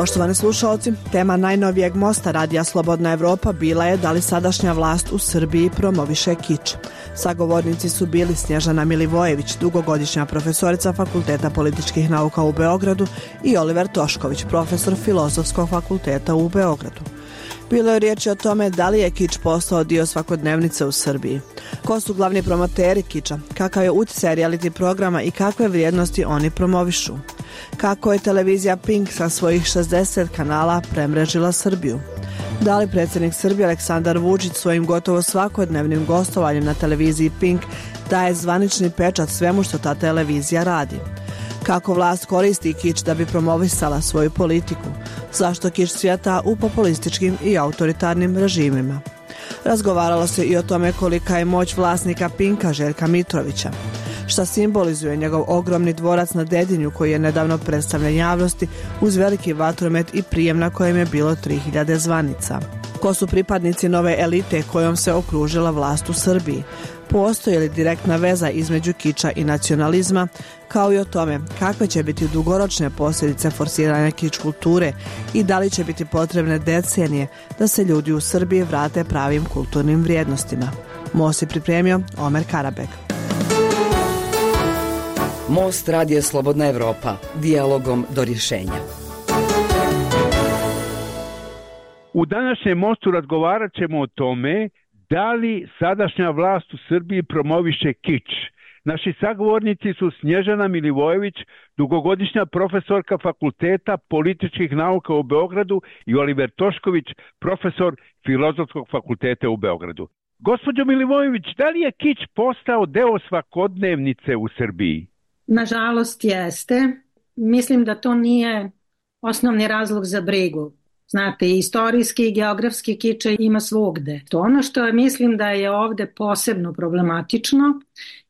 Poštovani slušalci, tema najnovijeg mosta Radija Slobodna Evropa bila je da li sadašnja vlast u Srbiji promoviše kič. Sagovornici su bili Snježana Milivojević, dugogodišnja profesorica Fakulteta političkih nauka u Beogradu, i Oliver Tošković, profesor Filozofskog fakulteta u Beogradu. Bilo je riječi o tome da li je kič postao dio svakodnevnice u Srbiji. Ko su glavni promoteri kiča, kakav je utjecaj reality programa i kakve vrijednosti oni promovišu. Kako je televizija Pink sa svojih 60 kanala premrežila Srbiju. Da li predsjednik Srbije Aleksandar Vučić svojim gotovo svakodnevnim gostovanjem na televiziji Pink daje zvanični pečat svemu što ta televizija radi. Kako vlast koristi kič da bi promovisala svoju politiku? Zašto kič cvjeta u populističkim i autoritarnim režimima? Razgovaralo se i o tome kolika je moć vlasnika Pinka Željka Mitrovića. Šta simbolizuje njegov ogromni dvorac na Dedinju koji je nedavno predstavljen javnosti uz veliki vatromet i prijem na kojem je bilo 3000 zvanica? Ko su pripadnici nove elite kojom se okružila vlast u Srbiji? Postoji li direktna veza između kiča i nacionalizma, kao i o tome kakve će biti dugoročne posljedice forsiranja kič kulture i da li će biti potrebne decenije da se ljudi u Srbiji vrate pravim kulturnim vrijednostima. Most je pripremio Omer Karabek. Most Radija Slobodna Evropa, dijalogom do rješenja. U današnjem mostu razgovarat ćemo o tome da li sadašnja vlast u Srbiji promoviše kič. Naši sagovornici su Snježana Milivojević, dugogodišnja profesorka Fakulteta političkih nauka u Beogradu, i Oliver Tošković, profesor Filozofskog fakulteta u Beogradu. Gospođo Milivojević, da li je kič postao deo svakodnevnice u Srbiji? Nažalost jeste. Mislim da to nije osnovni razlog za brigu. Znate, istorijski i geografski kič ima svugde. To ono što mislim da je ovde posebno problematično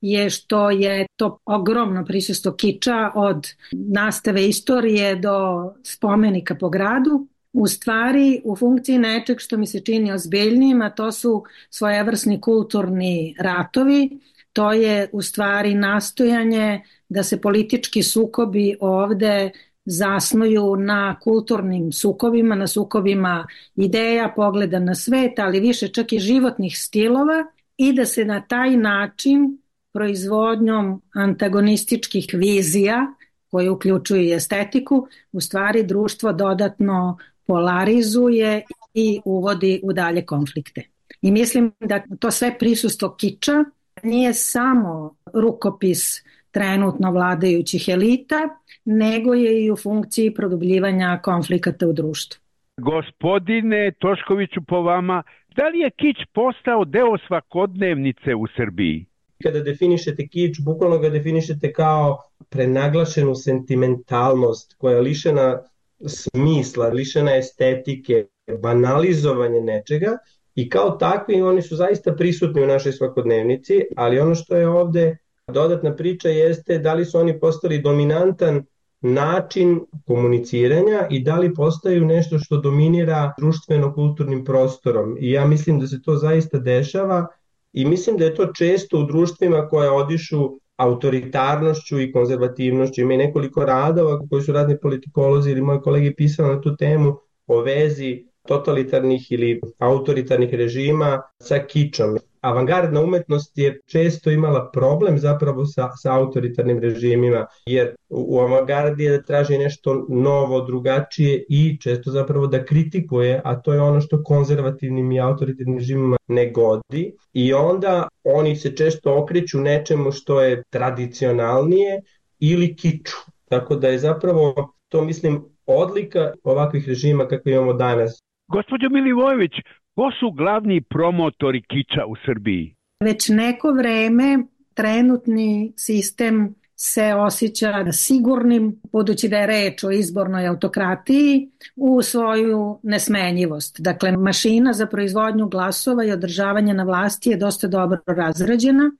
je što je to ogromno prisustvo kiča od nastave istorije do spomenika po gradu u stvari u funkciji nečeg što mi se čini ozbiljnijim, a to su svojevrsni kulturni ratovi. To je u stvari nastojanje da se politički sukobi ovde zasnuju na kulturnim sukobima, na sukobima ideja, pogleda na svet, ali više čak i životnih stilova, i da se na taj način proizvodnjom antagonističkih vizija, koje uključuju i estetiku, u stvari društvo dodatno polarizuje i uvodi u dalje konflikte. I mislim da to sve prisustvo kiča nije samo rukopis trenutno vladajućih elita, nego je i u funkciji produbljivanja konflikata u društvu. Gospodine Toškoviću, po vama, da li je kič postao deo svakodnevnice u Srbiji? Kada definišete kič, bukvalno ga definišete kao prenaglašenu sentimentalnost koja je lišena smisla, lišena estetike, banalizovanje nečega, i kao takvi oni su zaista prisutni u našoj svakodnevnici, ali ono što je ovde dodatna priča jeste da li su oni postali dominantan način komuniciranja i da li postaju nešto što dominira društveno-kulturnim prostorom. I ja mislim da se to zaista dešava i mislim da je to često u društvima koja odišu autoritarnošću i konzervativnošću. Ima i nekoliko radova koji su razni politikolozi ili moji kolege pisali na tu temu o vezi totalitarnih ili autoritarnih režima sa kičom. Avangardna umetnost je često imala problem zapravo sa autoritarnim režimima, jer u avangardi je da traži nešto novo, drugačije i često zapravo da kritikuje, a to je ono što konzervativnim i autoritarnim režimima ne godi. I onda oni se često okreću nečemu što je tradicionalnije ili kiču. Tako da je zapravo to, mislim, odlika ovakvih režima kakve imamo danas. Gospođo Milivojević, ko su glavni promotori kiča u Srbiji? Već neko vreme trenutni sistem se osjeća sigurnim, budući da je reč o izbornoj autokratiji, u svoju nesmenjivost. Dakle, mašina za proizvodnju glasova i održavanje na vlasti je dosta dobro razrađena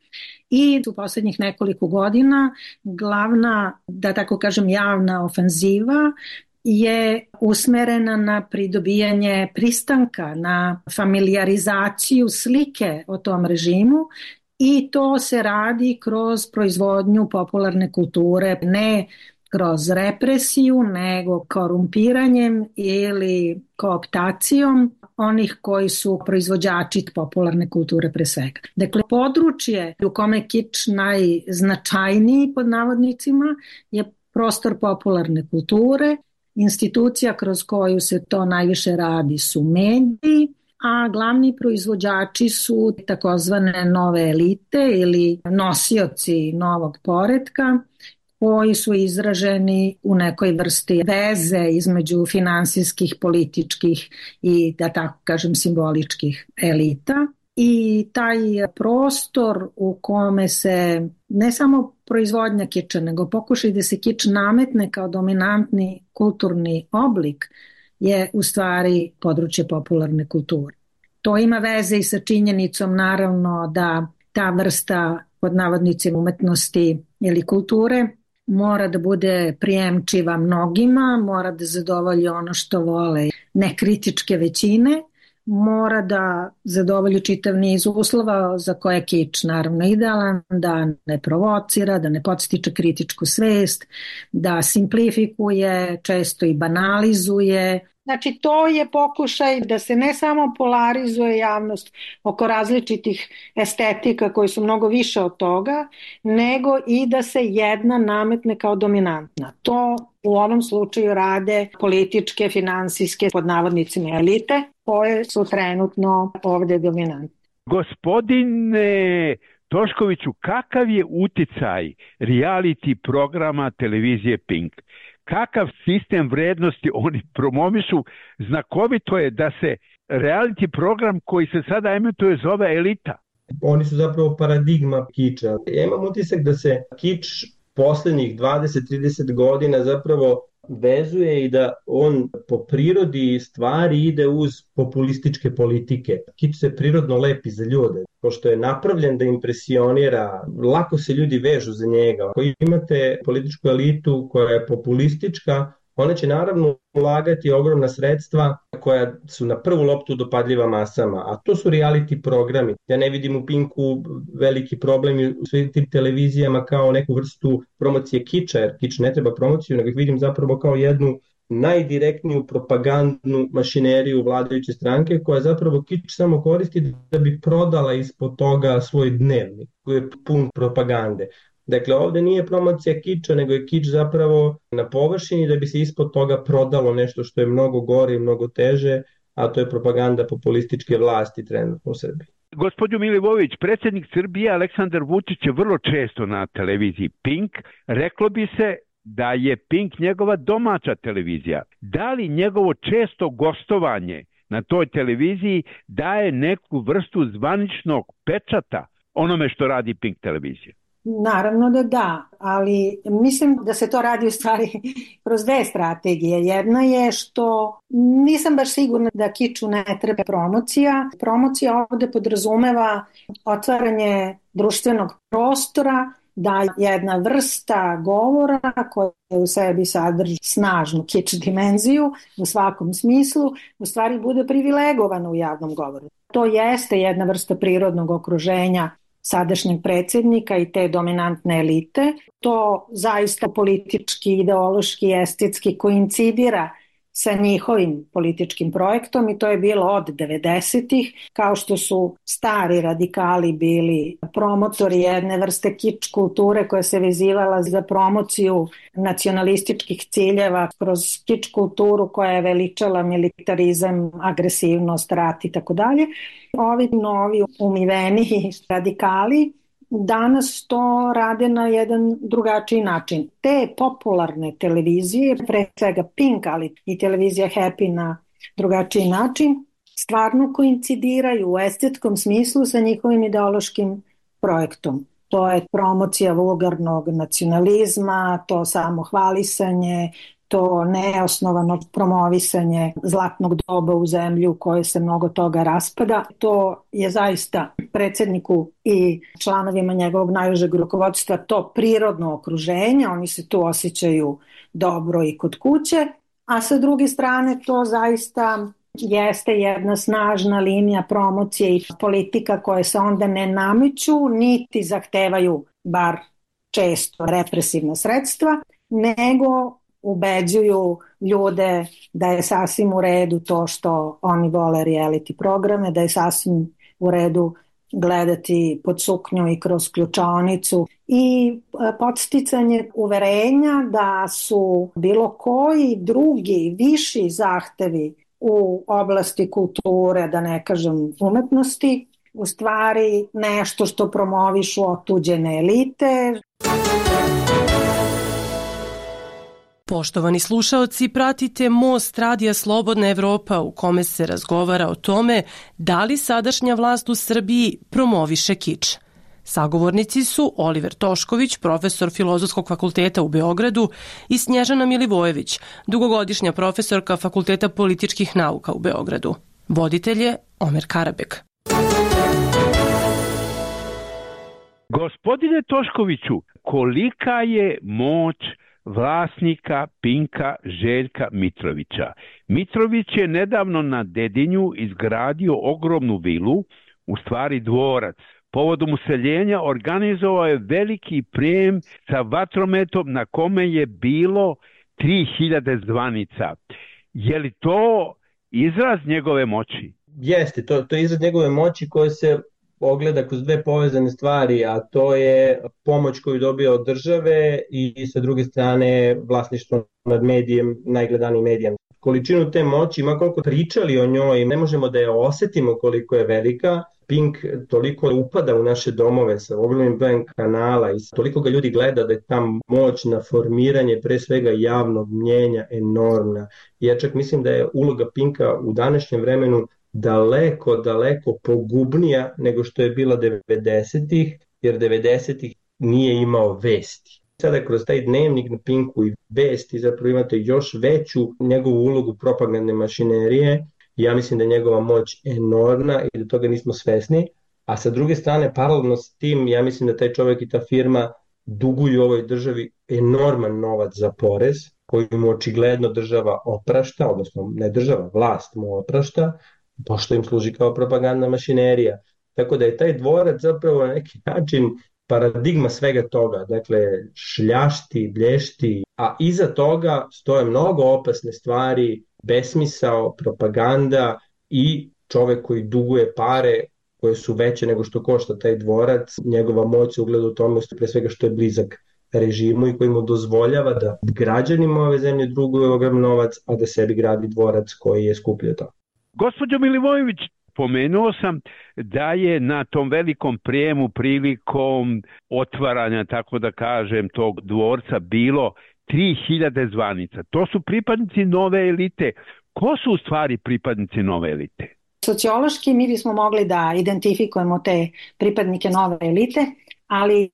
i u posljednjih nekoliko godina glavna, da tako kažem, javna ofenziva je usmerena na pridobijanje pristanka, na familijarizaciju slike o tom režimu, i to se radi kroz proizvodnju popularne kulture, ne kroz represiju, nego korumpiranjem ili kooptacijom onih koji su proizvođači popularne kulture pre svega. Dakle, područje u kome je kič najznačajniji pod navodnicima je prostor popularne kulture. Institucija kroz koju se to najviše radi su mediji, a glavni proizvođači su takozvane nove elite ili nosioci novog poretka, koji su izraženi u nekoj vrsti veze između finansijskih, političkih i, da tako kažem, simboličkih elita. I taj prostor u kome se ne samo proizvodnja kiča, nego pokušaj da se kič nametne kao dominantni kulturni oblik je u stvari područje popularne kulture. To ima veze i sa činjenicom naravno da ta vrsta pod navodnicima umetnosti ili kulture mora da bude prijemčiva mnogima, mora da zadovolji ono što vole nekritičke većine, mora da zadovolji čitav niz uslova za koje je kič naravno idealan, da ne provocira, da ne podstiče kritičku svest, da simplifikuje, često i banalizuje. Znači, to je pokušaj da se ne samo polarizuje javnost oko različitih estetika koji su mnogo više od toga, nego i da se jedna nametne kao dominantna. To u ovom slučaju rade političke, finansijske, pod navodnicima elite, koje su trenutno ovde dominantne. Gospodine Toškoviću, kakav je uticaj reality programa televizije Pink? Kakav sistem vrednosti oni promovišu? Znakovito je da se reality program koji se sada emituje zove Elita. Oni su zapravo paradigma kiča. Ja imam utisak da se kič poslednjih 20-30 godina zapravo vezuje i da on po prirodi stvari ide uz populističke politike. Kič se prirodno lepi za ljude, pošto je napravljen da impresionira, lako se ljudi vežu za njega. Ako imate političku elitu koja je populistička, ona će naravno ulagati ogromna sredstva koja su na prvu loptu dopadljiva masama, a to su reality programi. Ja ne vidim u Pinku veliki problem u svim tim televizijama kao neku vrstu promocije kiča, jer kič ne treba promociju, nego ih vidim zapravo kao jednu najdirektniju propagandnu mašineriju vladajuće stranke koja zapravo kič samo koristi da bi prodala ispod toga svoj dnevnik koji je pun propagande. Dakle, ovde nije promocija kiča, nego je kič zapravo na površini da bi se ispod toga prodalo nešto što je mnogo gore i mnogo teže, a to je propaganda populističke vlasti trenutno u Srbiji. Gospodin Milivojević, predsjednik Srbije Aleksandar Vučić je vrlo često na televiziji Pink. Reklo bi se da je Pink njegova domaća televizija. Da li njegovo često gostovanje na toj televiziji daje neku vrstu zvaničnog pečata onome što radi Pink televizija? Naravno da, ali mislim da se to radi u stvari kroz dve strategije. Jedna je što nisam baš sigurna da kiču ne treba promocija. Promocija ovde podrazumeva otvaranje društvenog prostora, da jedna vrsta govora koja u sebi sadrži snažnu kič dimenziju u svakom smislu, u stvari bude privilegovana u javnom govoru. To jeste jedna vrsta prirodnog okruženja sadašnjeg predsjednika i te dominantne elite. To zaista politički, ideološki, estetski koincidira sa njihovim političkim projektom i to je bilo od 90-ih, kao što su stari radikali bili promotori jedne vrste kič kulture koja se vezivala za promociju nacionalističkih ciljeva kroz kič kulturu koja je veličala militarizam, agresivnost, rat i tako dalje. Ovi novi umiveni radikali danas to rade na jedan drugačiji način. Te popularne televizije, pre svega Pink, ali i televizija Happy na drugačiji način, stvarno koincidiraju u estetskom smislu sa njihovim ideološkim projektom. To je promocija vulgarnog nacionalizma, to samohvalisanje, to neosnovano promovisanje zlatnog doba u zemlji u kojoj se mnogo toga raspada. To je zaista predsjedniku i članovima njegovog najužeg rukovodstva to prirodno okruženje, oni se tu osjećaju dobro i kod kuće, a sa druge strane to zaista jeste jedna snažna linija promocije i politika koje se onda ne nameću, niti zahtevaju bar često represivna sredstva, nego ubeđuju ljude da je sasvim u redu to što oni vole reality programe, da je sasvim u redu gledati pod suknju i kroz ključaonicu i podsticanje uverenja da su bilo koji drugi viši zahtevi u oblasti kulture, da ne kažem umetnosti, u stvari nešto što promovišu otuđene elite. Poštovani slušaoci, pratite Most Radija Slobodna Evropa u kome se razgovara o tome da li sadašnja vlast u Srbiji promoviše kič. Sagovornici su Oliver Tošković, profesor Filozofskog fakulteta u Beogradu, i Snježana Milivojević, dugogodišnja profesorka Fakulteta političkih nauka u Beogradu. Voditelj je Omer Karabek. Gospodine Toškoviću, kolika je moć vlasnika Pinka Željka Mitrovića? Mitrović je nedavno na Dedinju izgradio ogromnu vilu, u stvari dvorac. Povodom useljenja organizovao je veliki prijem sa vatrometom na kome je bilo 3000 zvanica. Je li to izraz njegove moći? Jeste, to je izraz njegove moći koji se ogleda kroz dve povezane stvari, a to je pomoć koju dobija od države i sa druge strane vlasništvo nad medijem, najgledanijim medijem. Količinu te moći, ma koliko pričali o njoj, ne možemo da je osetimo koliko je velika. Pink toliko upada u naše domove sa ogromnim brojem kanala i toliko ga ljudi gleda da je ta moć na formiranje pre svega javnog mnjenja enormna. Ja čak mislim da je uloga Pinka u današnjem vremenu daleko pogubnija nego što je bila 90-ih, jer 90-ih nije imao vesti. Sada kroz taj dnevnik na Pinku i vesti zapravo imate još veću njegovu ulogu propagandne mašinerije. Ja mislim da je njegova moć enormna i da toga nismo svesni, a sa druge strane paralelno s tim ja mislim da taj čovjek i ta firma duguju ovoj državi enorman novac za porez koji mu očigledno država oprašta, odnosno ne država, vlast mu oprašta, pošto im služi kao propagandna mašinerija. Tako da je taj dvorac zapravo na neki način paradigma svega toga, dakle šljašti, blješti, a iza toga stoje mnogo opasne stvari, besmisao, propaganda i čovek koji duguje pare koje su veće nego što košta taj dvorac. Njegova moć se ugleda u tome pre svega što je blizak režimu i koji mu dozvoljava da građanima ove zemlje duguje ogrom novac, a da sebi gradi dvorac koji je skuplji od toga. Gospođo Milivojević, pomenuo sam da je na tom velikom prijemu prilikom otvaranja, tako da kažem, tog dvorca bilo 3000 zvanica. To su pripadnici nove elite. Ko su u stvari pripadnici nove elite? Sociološki mi bismo mogli da identifikujemo te pripadnike nove elite, ali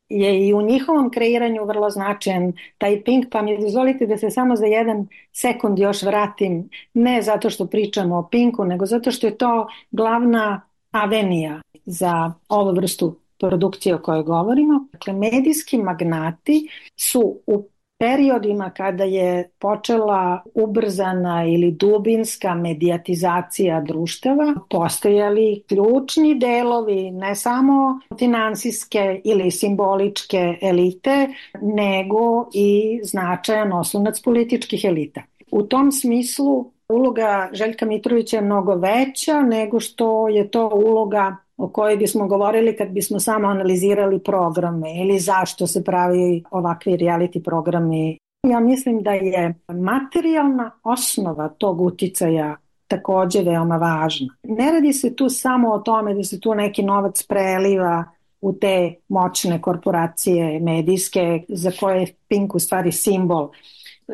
je i u njihovom kreiranju vrlo značajan taj Pink, pa mi dozvolite da se samo za 1 sekund još vratim, ne zato što pričamo o Pinku, nego zato što je to glavna avenija za ovu vrstu produkcije o kojoj govorimo. Dakle, medijski magnati su u periodima kada je počela ubrzana ili dubinska medijatizacija društava, postojali ključni delovi ne samo finansijske ili simboličke elite, nego i značajan oslonac političkih elita. U tom smislu uloga Željka Mitrovića je mnogo veća nego što je to uloga o kojoj bismo govorili kad bismo samo analizirali programe ili zašto se pravi ovakvi reality programi. Ja mislim da je materijalna osnova tog uticaja takođe veoma važna. Ne radi se tu samo o tome da se tu neki novac preliva u te moćne korporacije medijske za koje je Pink u stvari simbol.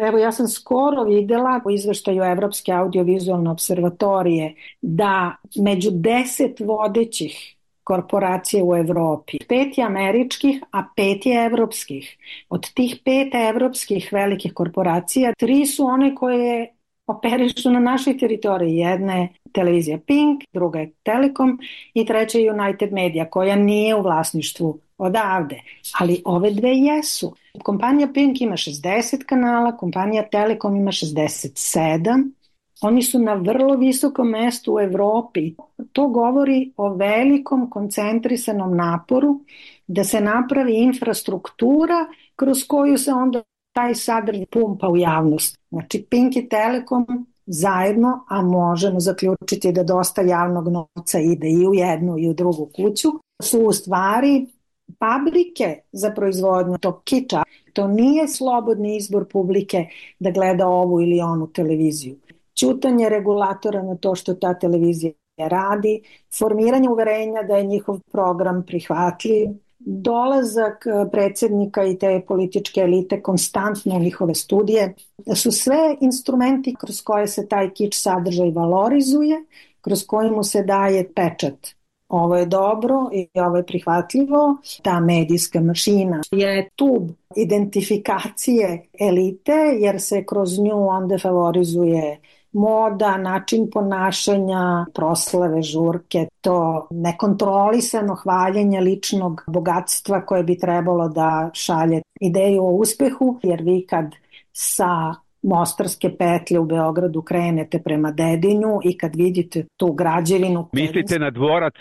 Evo, ja sam skoro videla u izveštaju Evropske audiovizualne observatorije da među 10 vodećih korporacija u Evropi, 5 je američkih, a 5 je evropskih. Od tih 5 evropskih velikih korporacija, 3 su one koje operišu na našoj teritoriji. Jedna je televizija Pink, druga je Telekom i treća je United Media, koja nije u vlasništvu odavde, ali ove dve jesu. Kompanija Pink ima 60 kanala, kompanija Telekom ima 67. Oni su na vrlo visokom mestu u Evropi. To govori o velikom koncentrisanom naporu da se napravi infrastruktura kroz koju se onda taj sadržaj pumpa u javnost. Znači Pink i Telekom zajedno, a možemo zaključiti da dosta javnog novca ide i u jednu i u drugu kuću, su u stvari fabrike za proizvodnju tog kiča. To nije slobodni izbor publike da gleda ovu ili onu televiziju. Ćutanje regulatora na to što ta televizija radi, formiranje uverenja da je njihov program prihvatljiv, dolazak predsjednika i te političke elite konstantno u njihove studije, da su sve instrumenti kroz koje se taj kič sadržaj valorizuje, kroz koji mu se daje pečat. Ovo je dobro i ovo je prihvatljivo. Ta medijska mašina je tub identifikacije elite, jer se kroz nju onda favorizuje moda, način ponašanja, proslave, žurke, to nekontrolisano hvaljenje ličnog bogatstva koje bi trebalo da šalje ideju o uspehu, jer vi kad sa Mostarske petlje u Beogradu krenete prema Dedinju i kad vidite tu građevinu... Mislite na dvorac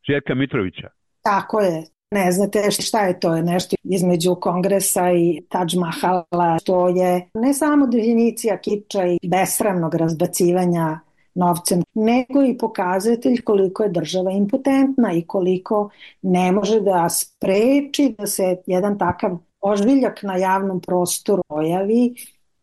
Željka Mitrovića? Tako je. Ne znate šta je to, je nešto između Kongresa i Taj Mahala, to je ne samo definicija kiča i besramnog razbacivanja novcem, nego i pokazatelj koliko je država impotentna i koliko ne može da spreči da se jedan takav ožviljak na javnom prostoru pojavi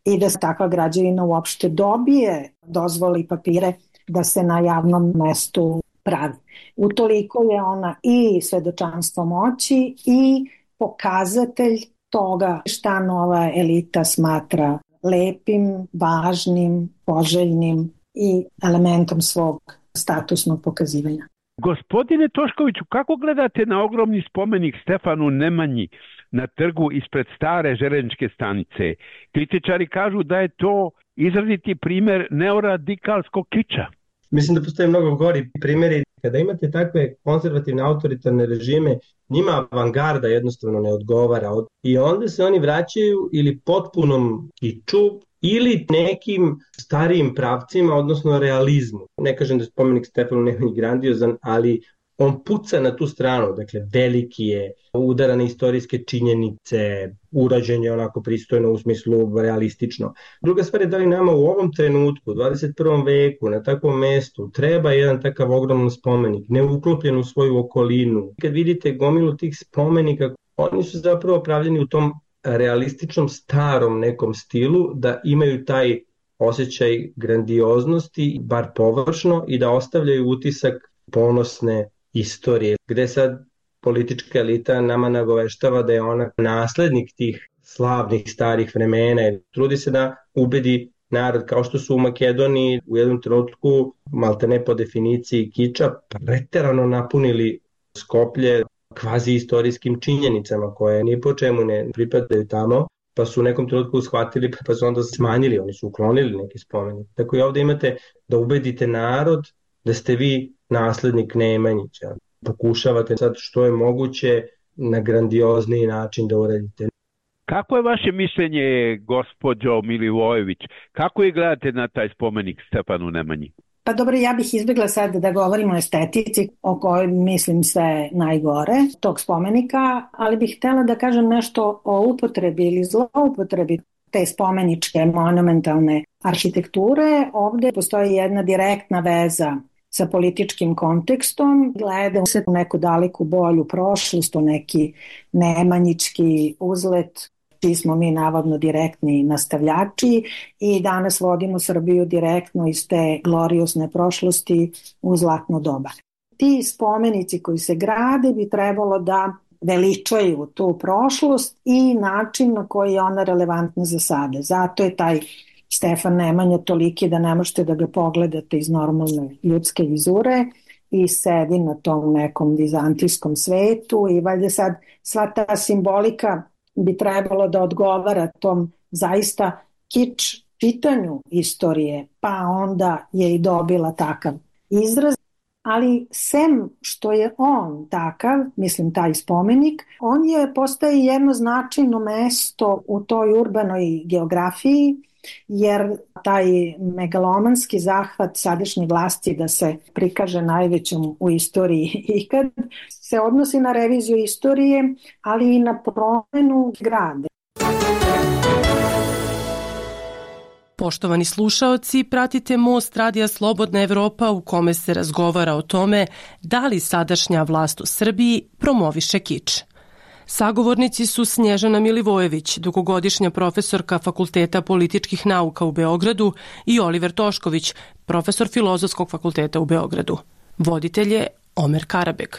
i da se takva građevina uopšte dobije dozvoli i papire da se na javnom mestu pravi. Utoliko je ona i svedočanstvo moći i pokazatelj toga šta nova elita smatra lepim, važnim, poželjnim i elementom svog statusnog pokazivanja. Gospodine Toškoviću, kako gledate na ogromni spomenik Stefanu Nemanji na trgu ispred stare železničke stanice? Kritičari kažu da je to izraziti primjer neoradikalskog kiča. Mislim da postoje mnogo gori primjeri. Kada imate takve konzervativne autoritarne režime, njima avangarda jednostavno ne odgovara. I onda se oni vraćaju ili potpunom kiču ili nekim starijim pravcima, odnosno realizmu. Ne kažem da je spomenik Stefanu Nemanji grandiozan, ali on puca na tu stranu, dakle veliki je, udara na istorijske činjenice, urađen je onako pristojno u smislu realistično. Druga stvar je da li nama u ovom trenutku, u 21. veku, na takvom mestu, treba jedan takav ogroman spomenik, neuklopljen u svoju okolinu. Kad vidite gomilu tih spomenika, oni su zapravo pravljeni u tom realističnom starom nekom stilu, da imaju taj osjećaj grandioznosti, bar površno, i da ostavljaju utisak ponosne istorije, gde sad politička elita nama nagoveštava da je ona naslednik tih slavnih starih vremena. Trudi se da ubedi narod, kao što su u Makedoniji u jednom trenutku, maltene po definiciji kiča, preterano napunili Skoplje kvazi istorijskim činjenicama koje ni po čemu ne pripadaju tamo, pa su u nekom trenutku shvatili, pa su onda smanjili, oni su uklonili neki spomenik. Tako i ovde imate da ubedite narod da ste vi naslednik Nemanjića. Pokušavate sad što je moguće na grandiozniji način da uradite. Kako je vaše mišljenje, gospođo Milivojević? Kako je gledate na taj spomenik Stefanu Nemanji? Pa dobro, ja bih izbjegla sad da govorimo o estetici o kojoj mislim sve najgore tog spomenika, ali bih htjela da kažem nešto o upotrebi ili zloupotrebi te spomeničke monumentalne arhitekture. Ovde postoji jedna direktna veza sa političkim kontekstom, gleda se u neku daleku bolju prošlost, u neki nemanjički uzlet, čiji smo mi navodno direktni nastavljači i danas vodimo Srbiju direktno iz te gloriosne prošlosti u zlatno doba. Ti spomenici koji se grade bi trebalo da veličaju tu prošlost i način na koji je ona relevantna za sada. Zato je taj Stefan Nemanja toliki da ne možete da ga pogledate iz normalne ljudske vizure i sedi na tom nekom vizantijskom svetu i valjda sad sva ta simbolika bi trebalo da odgovara tom zaista kič čitanju istorije, pa onda je i dobila takav izraz. Ali sem što je on takav, mislim taj spomenik, on je postaje jedno značajno mesto u toj urbanoj geografiji, jer taj megalomanski zahvat sadašnje vlasti da se prikaže najvećom u istoriji ikad se odnosi na reviziju istorije, ali i na promenu grada. Poštovani slušaoci, pratite Most Radija Slobodna Evropa u kome se razgovara o tome da li sadašnja vlast u Srbiji promoviše kič. Sagovornici su Snježana Milivojević, dugogodišnja profesorka Fakulteta političkih nauka u Beogradu, i Oliver Tošković, profesor Filozofskog fakulteta u Beogradu. Voditelj je Omer Karabeg.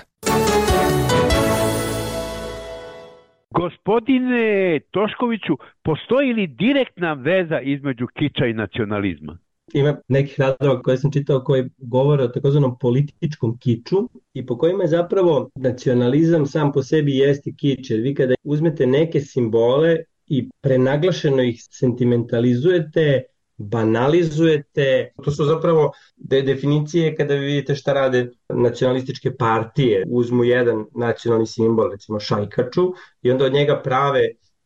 Gospodine Toškoviću, postoji li direktna veza između kiča i nacionalizma? Ima nekih radova koje sam čitao koji govore o takozvanom političkom kiču i po kojima je zapravo nacionalizam sam po sebi jeste kič. Jer vi kada uzmete neke simbole i prenaglašeno ih sentimentalizujete, banalizujete, to su zapravo definicije kada vi vidite šta rade nacionalističke partije. Uzmu jedan nacionalni simbol, recimo šajkaču, i onda od njega prave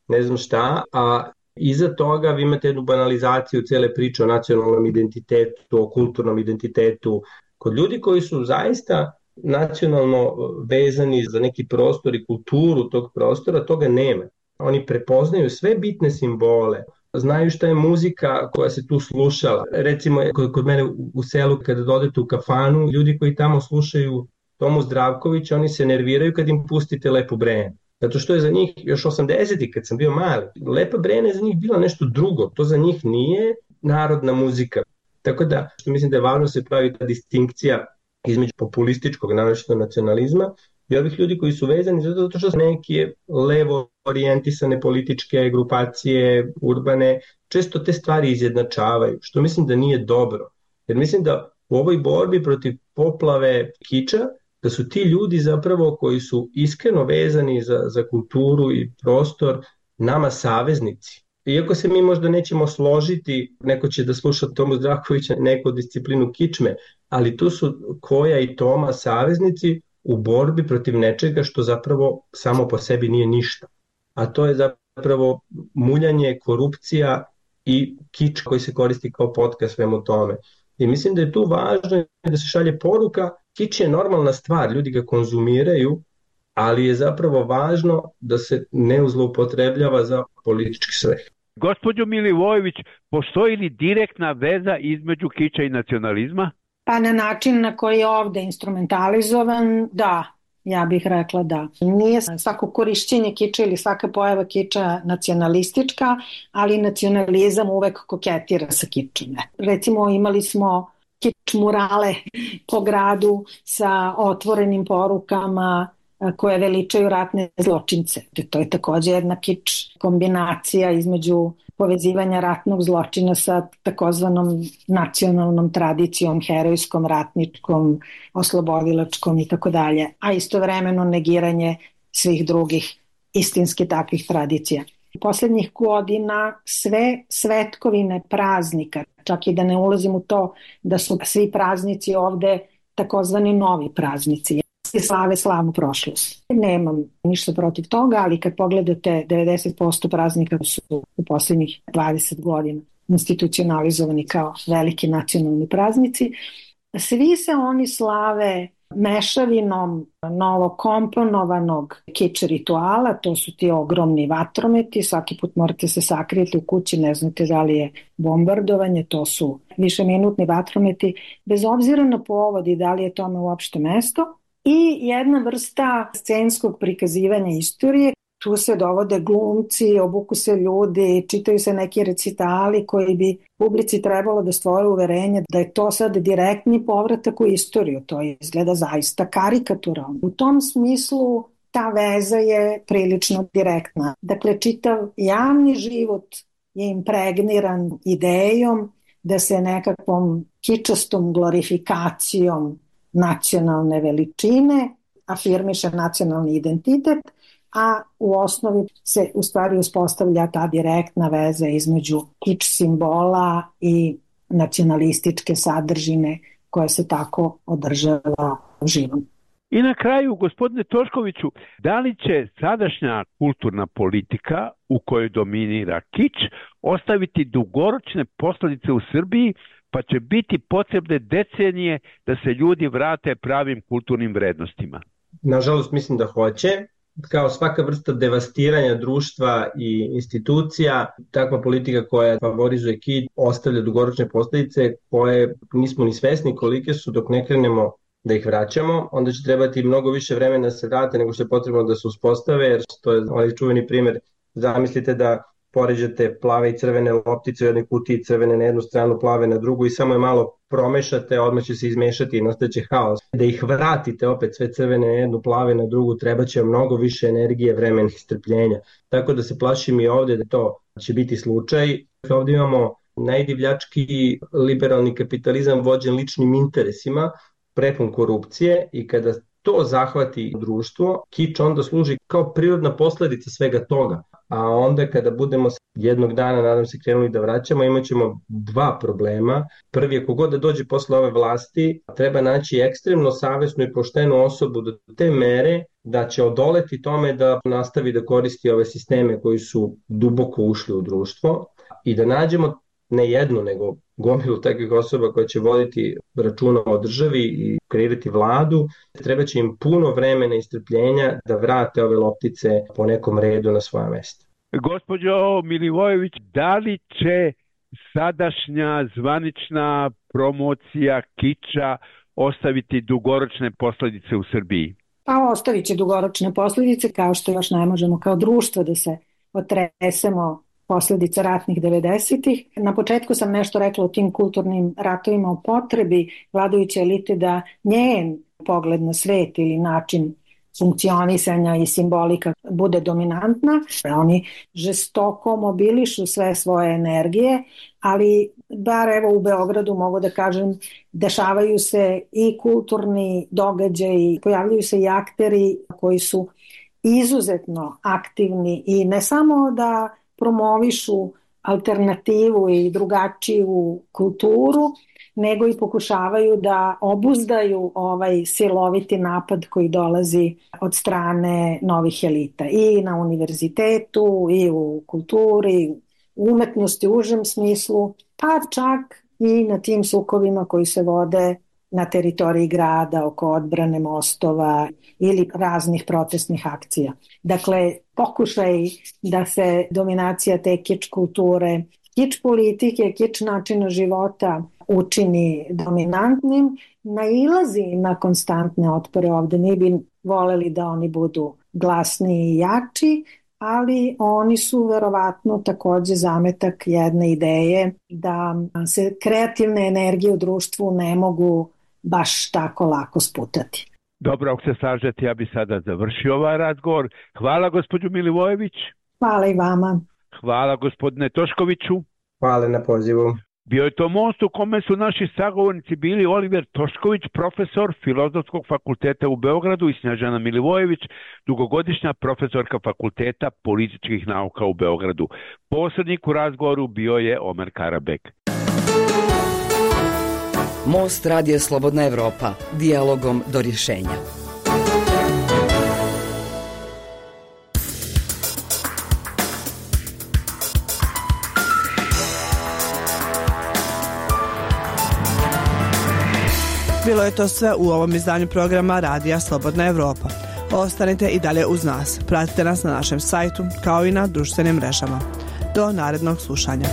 ne znam šta, a iza toga vi imate jednu banalizaciju cele priče o nacionalnom identitetu, o kulturnom identitetu. Kod ljudi koji su zaista nacionalno vezani za neki prostor i kulturu tog prostora, toga nema. Oni prepoznaju sve bitne simbole, znaju šta je muzika koja se tu slušala. Recimo, kod mene u selu, kada dodete u kafanu, ljudi koji tamo slušaju Tomu Zdravkovića, oni se nerviraju kad im pustite Lepu Brenu. Zato što je za njih, još 80-ih kad sam bio mali, Lepa Brena je za njih bila nešto drugo. To za njih nije narodna muzika. Tako da, što mislim da je važno se pravi ta distinkcija između populističkog, naročito nacionalizma, i ovih ljudi koji su vezani zato što su neke levo orijentisane političke grupacije, urbane, često te stvari izjednačavaju, što mislim da nije dobro. Jer mislim da u ovoj borbi protiv poplave kiča, da su ti ljudi zapravo koji su iskreno vezani za kulturu i prostor nama saveznici. Iako se mi možda nećemo složiti, neko će da sluša Tomu Zdravkovića, neku disciplinu kičme, ali tu su Koja i Toma saveznici u borbi protiv nečega što zapravo samo po sebi nije ništa. A to je zapravo muljanje, korupcija i kič koji se koristi kao potka svemu tome. I mislim da je tu važno da se šalje poruka, kič je normalna stvar, ljudi ga konzumiraju, ali je zapravo važno da se ne zloupotrebljava za politički svrhe. Gospođo Milivojević, postoji li direktna veza između kiča i nacionalizma? Pa na način na koji je ovde instrumentalizovan, da, ja bih rekla da. Nije svako korišćenje kiča ili svaka pojava kiča nacionalistička, ali nacionalizam uvek koketira sa kičom. Recimo imali smo kič murale po gradu sa otvorenim porukama koje veličaju ratne zločince. To je takođe jedna kič kombinacija između povezivanja ratnog zločina sa takozvanom nacionalnom tradicijom, herojskom, ratničkom, oslobodilačkom i tako dalje, a istovremeno negiranje svih drugih istinski takvih tradicija. Poslednjih godina sve svetkovine praznika, čak i da ne ulazim u to da su svi praznici ovde takozvani novi praznici, slave slavnu prošlost. Nemam ništa protiv toga, ali kad pogledate 90% praznika su u poslednjih 20 godina institucionalizovani kao veliki nacionalni praznici. Svi se oni slave mešavinom novokomponovanog kič rituala, to su ti ogromni vatrometi, svaki put morate se sakrijeti u kući, ne znate da li je bombardovanje, to su višeminutni vatrometi, bez obzira na povod i da li je tome uopšte mesto. I jedna vrsta scenskog prikazivanja istorije, tu se dovode glumci, obuku se ljudi, čitaju se neki recitali koji bi publici trebalo da stvore uverenje da je to sad direktni povratak u istoriju, to izgleda zaista karikaturalno. U tom smislu ta veza je prilično direktna. Dakle, čitav javni život je impregniran idejom da se nekakvom kičastom glorifikacijom nacionalne veličine afirmiše nacionalni identitet, a u osnovi se u stvari uspostavlja ta direktna veza između kič simbola i nacionalističke sadržine koja se tako održava živom. I na kraju, gospodine Toškoviću, da li će sadašnja kulturna politika u kojoj dominira kič ostaviti dugoročne posledice u Srbiji, pa će biti potrebne decenije da se ljudi vrate pravim kulturnim vrednostima? Nažalost, mislim da hoće. kao svaka vrsta devastiranja društva i institucija, takva politika koja favorizuje kič ostavlja dugoročne posledice koje nismo ni svesni kolike su dok ne krenemo da ih vraćamo, onda će trebati mnogo više vremena da se vrate nego što je potrebno da se uspostave, jer to je ovaj čuveni primer. Zamislite da poređate plave i crvene loptice u jednoj kutiji, crvene na jednu stranu, plave na drugu i samo je malo promešate, odmah će se izmešati i nastaće haos. Da ih vratite opet sve crvene na jednu, plave na drugu, treba će mnogo više energije, vremena i strpljenja. Tako da se plašim i ovde da to će biti slučaj. Ovde imamo najdivljački liberalni kapitalizam vođen ličnim interesima, prepun korupcije i kada to zahvati društvo, kič onda služi kao prirodna posledica svega toga. A onda kada budemo jednog dana, nadam se, krenuli da vraćamo, imat ćemo dva problema. Prvi je kogod da dođe posle ove vlasti, treba naći ekstremno savesnu i poštenu osobu do te mere da će odoleti tome da nastavi da koristi ove sisteme koji su duboko ušli u društvo i da nađemo ne jednu, nego gomilu takvih osoba koja će voditi računa o državi i kreirati vladu. Treba će im puno vremena i strpljenja da vrate ove loptice po nekom redu na svoja mesta. Gospođo Milivojević, da li će sadašnja zvanična promocija kiča ostaviti dugoročne posledice u Srbiji? Pa ostavit će dugoročne posledice, kao što još ne možemo kao društvo da se otresemo posledica ratnih 90-ih. Na početku sam nešto rekla o tim kulturnim ratovima, o potrebi vladajuće elite da njen pogled na svet ili način funkcionisanja i simbolika bude dominantna. Oni žestoko mobilišu sve svoje energije, ali bar evo u Beogradu mogu da kažem dešavaju se i kulturni događaji, pojavljaju se i akteri koji su izuzetno aktivni i ne samo da promovišu alternativu i drugačiju kulturu, nego i pokušavaju da obuzdaju ovaj siloviti napad koji dolazi od strane novih elita i na univerzitetu i u kulturi, u umetnosti u užem smislu, pa čak i na tim sukovima koji se vode na teritoriji grada, oko odbrane mostova ili raznih protestnih akcija. Dakle, pokušaj da se dominacija te kič kulture, kič politike, kič načina života učini dominantnim, nailazi na konstantne otpore ovde. Mi bi voleli da oni budu glasniji i jači, ali oni su verovatno takođe zametak jedne ideje da se kreativne energije u društvu ne mogu baš tako lako sputati. Dobro, ako se slažete, ja bi sada završio ovaj razgovor. Hvala gospođu Milivojević. Hvala i vama. Hvala gospodine Toškoviću. Hvala na pozivu. Bio je to most u kome su naši sagovornici bili Oliver Tošković, profesor Filozofskog fakulteta u Beogradu i Snježana Milivojević, dugogodišnja profesorka Fakulteta političkih nauka u Beogradu. Posrednik u razgovoru bio je Omer Karabek. Most Radija Slobodna Evropa. Dijalogom do rješenja. Bilo je to sve u ovom izdanju programa Radija Slobodna Evropa. Ostanite i dalje uz nas. Pratite nas na našem sajtu kao i na društvenim mrežama. Do narednog slušanja.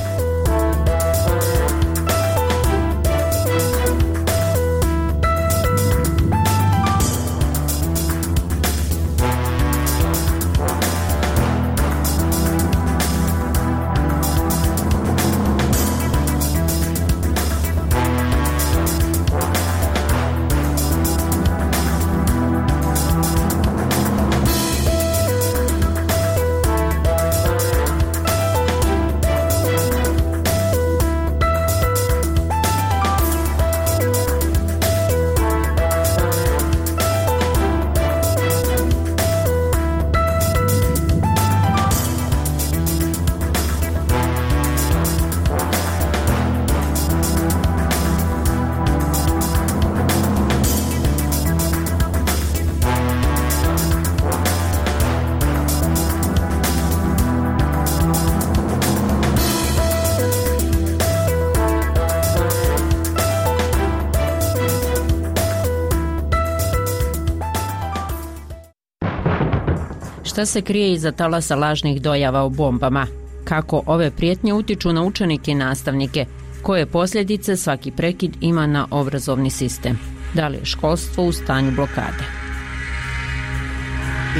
Šta se krije iza talasa lažnih dojava o bombama? Kako ove prijetnje utiču na učenike i nastavnike? Koje posljedice svaki prekid ima na obrazovni sistem? Da li je školstvo u stanju blokade?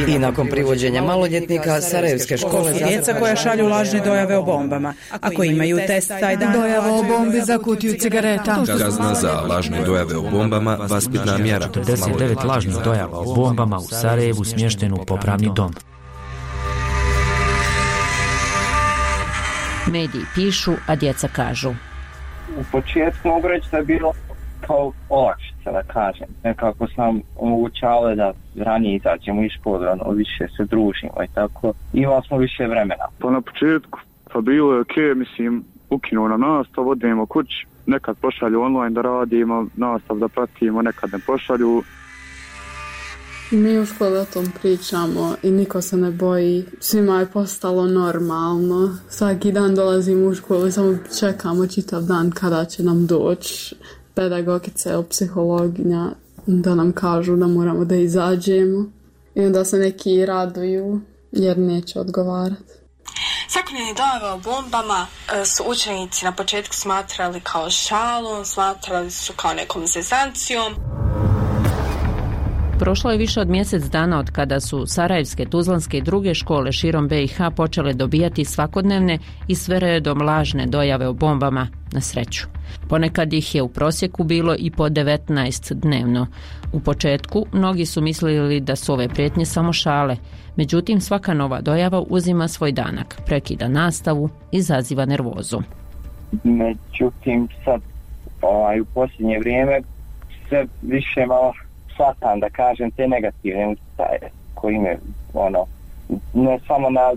I nakon privođenja maloljetnika Sarajevske škole djeca koja šalju lažne dojave o bombama. Ako imaju test taj dan, dojava o bombi za kutiju cigareta. Kazna za lažne dojave o bombama, vaspitna mjera. 49 lažnih dojava o bombama u Sarajevu smještenu u popravni dom. Mediji pišu, a djeca kažu. U početku mogu reći da je bilo kao olakšica, da kažem. Nekako sam omogućavali da ranije izađemo iz škole, više se družimo i tako. Imali smo više vremena. Pa na početku, pa bilo je okej, mislim, ukinuo nam nastav, odemo kući, nekad pošalju online da radimo, nastav da pratimo, nekad ne pošalju. Mi u školi o tom pričamo i niko se ne boji. Svima je postalo normalno. Svaki dan dolazimo u školu i samo čekamo čitav dan kada će nam doći pedagogice ili psihologinja da nam kažu da moramo da izađemo. I onda se neki raduju jer neće odgovarati. Svakodnevne dojave o bombama su učenici na početku smatrali kao šalom, smatrali su kao nekom zezancijom. Prošlo je više od mjesec dana od kada su sarajevske, tuzlanske i druge škole širom BiH počele dobijati svakodnevne i sve redom lažne dojave o bombama, na sreću. Ponekad ih je u prosjeku bilo i po 19 dnevno. U početku mnogi su mislili da su ove prijetnje samo šale, međutim svaka nova dojava uzima svoj danak, prekida nastavu, izaziva nervozu. Međutim sad u posljednje vrijeme sve više malo shvatam, da kažem, te negativne utjecaje koji imaju ne samo na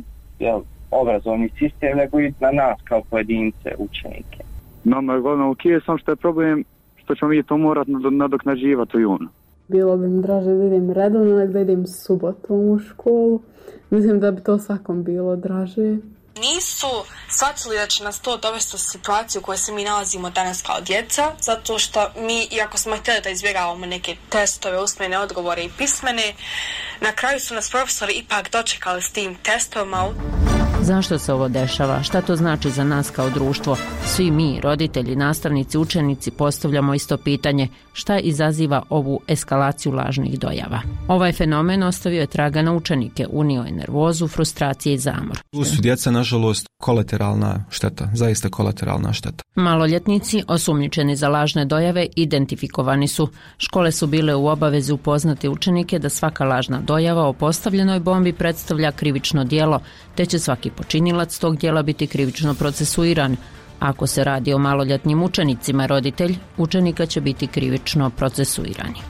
obrazovni sistem, nego i na nas kao pojedince, učenike. Nama je glavno samo što je problem što ćemo mi to morati nadoknađivati u junu. Bilo bi mi draže da idem redovno, nego da idem subotom u školu. Mislim da bi to svakom bilo draže. Nisu shvatili da će nas to dovesti u situaciju u kojoj se mi nalazimo danas kao djeca, zato što mi, iako smo htjeli da izbjegavamo neke testove, usmene odgovore i pismene, na kraju su nas profesori ipak dočekali s tim testovima. Zašto se ovo dešava? Šta to znači za nas kao društvo? Svi mi, roditelji, nastavnici, učenici, postavljamo isto pitanje: šta izaziva ovu eskalaciju lažnih dojava? Ovaj fenomen ostavio je traga na učenike, unio je nervozu, frustracije i zamor. Tu su djeca, nažalost, kolateralna šteta, zaista kolateralna šteta. Maloljetnici, osumnjičeni za lažne dojave, identifikovani su. Škole su bile u obavezi upoznati učenike da svaka lažna dojava o postavljenoj bombi predstavlja krivično djelo, te će svaki počinilac tog djela biti krivično procesuiran. Ako se radi o maloljetnim učenicima, roditelj učenika će biti krivično procesuirani.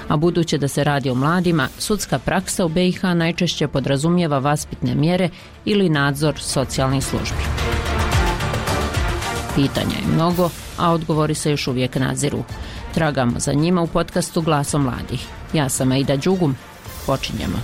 A budući da se radi o mladima, sudska praksa u BiH najčešće podrazumijeva vaspitne mjere ili nadzor socijalnih službi. Pitanja je mnogo, a odgovori se još uvijek naziru. Tragamo za njima u podcastu Glasom mladih. Ja sam Aida Đugum. Počinjemo.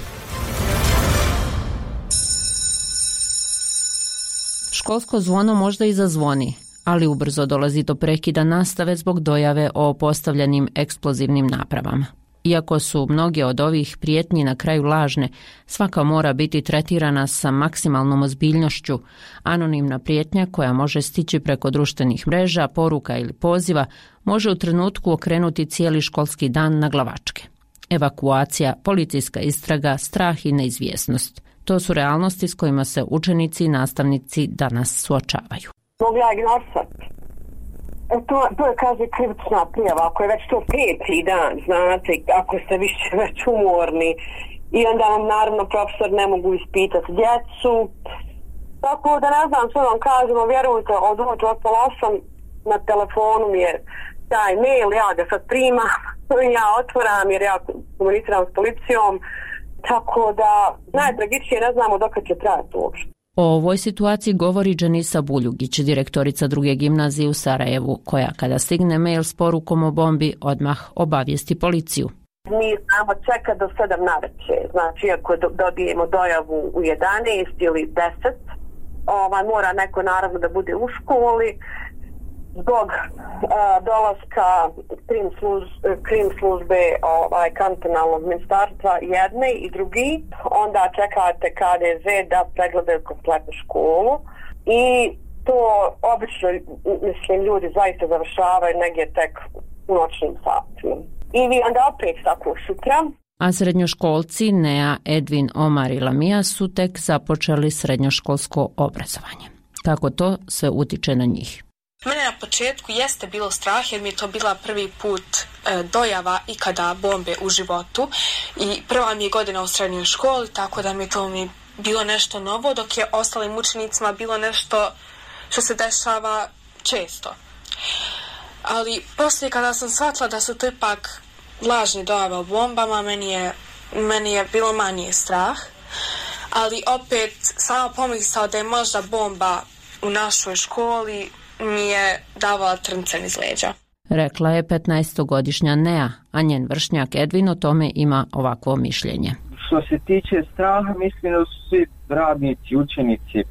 Školsko zvono možda i zazvoni, ali ubrzo dolazi do prekida nastave zbog dojave o postavljenim eksplozivnim napravama. Iako su mnoge od ovih prijetnji na kraju lažne, svaka mora biti tretirana sa maksimalnom ozbiljnošću. Anonimna prijetnja koja može stići preko društvenih mreža, poruka ili poziva može u trenutku okrenuti cijeli školski dan na glavačke. Evakuacija, policijska istraga, strah i neizvjesnost. To su realnosti s kojima se učenici i nastavnici danas suočavaju. Mogu ja glasati? To je, kaže, krivična prijava, ako je već to 5. dan, znate, ako ste više već umorni. I onda vam, naravno, profesor ne mogu ispitati djecu. Tako da ne znam što vam kažemo, vjerujte, od 8 na telefonu mi je taj mail, ja ga sad primam, ja otvoram jer ja komuniciram s policijom. Tako da najtragičnije ne znamo dok će trajati uopšte. O ovoj situaciji govori Dženisa Buljugić, direktorica 2. gimnazije u Sarajevu, koja kada stigne mail s porukom o bombi odmah obavijesti policiju. Mi znamo čekati do 7 navečer, znači ako dobijemo dojavu u 11 ili 10, mora neko naravno da bude u školi zbog dolaska krim službe kantonalnog ministarstva jedne i drugi, onda čekate KDZ da pregledaju kompletnu školu i to obično, mislim, ljudi zaista završavaju negdje tek u noćnim satima. I vi onda opet tako sutra. A srednjoškolci Nea, Edvin, Omar i Lamija su tek započeli srednjoškolsko obrazovanje. Kako to sve utiče na njih? Mene na početku jeste bilo strah jer mi je to bila prvi put dojava ikada bombe u životu i prva mi je godina u srednjoj školi, tako da mi je to bilo nešto novo, dok je ostalim učenicima bilo nešto što se dešava često. Ali poslije kada sam shvatila da su to ipak lažne dojave o bombama, meni je bilo manje strah, ali opet sama pomisao da je možda bomba u našoj školi mi je davala trnce niz leđa. Rekla je 15-godišnja Nea, a njen vršnjak Edvin o tome ima ovakvo mišljenje. Što se tiče straha, mislim da su svi radnici, učenici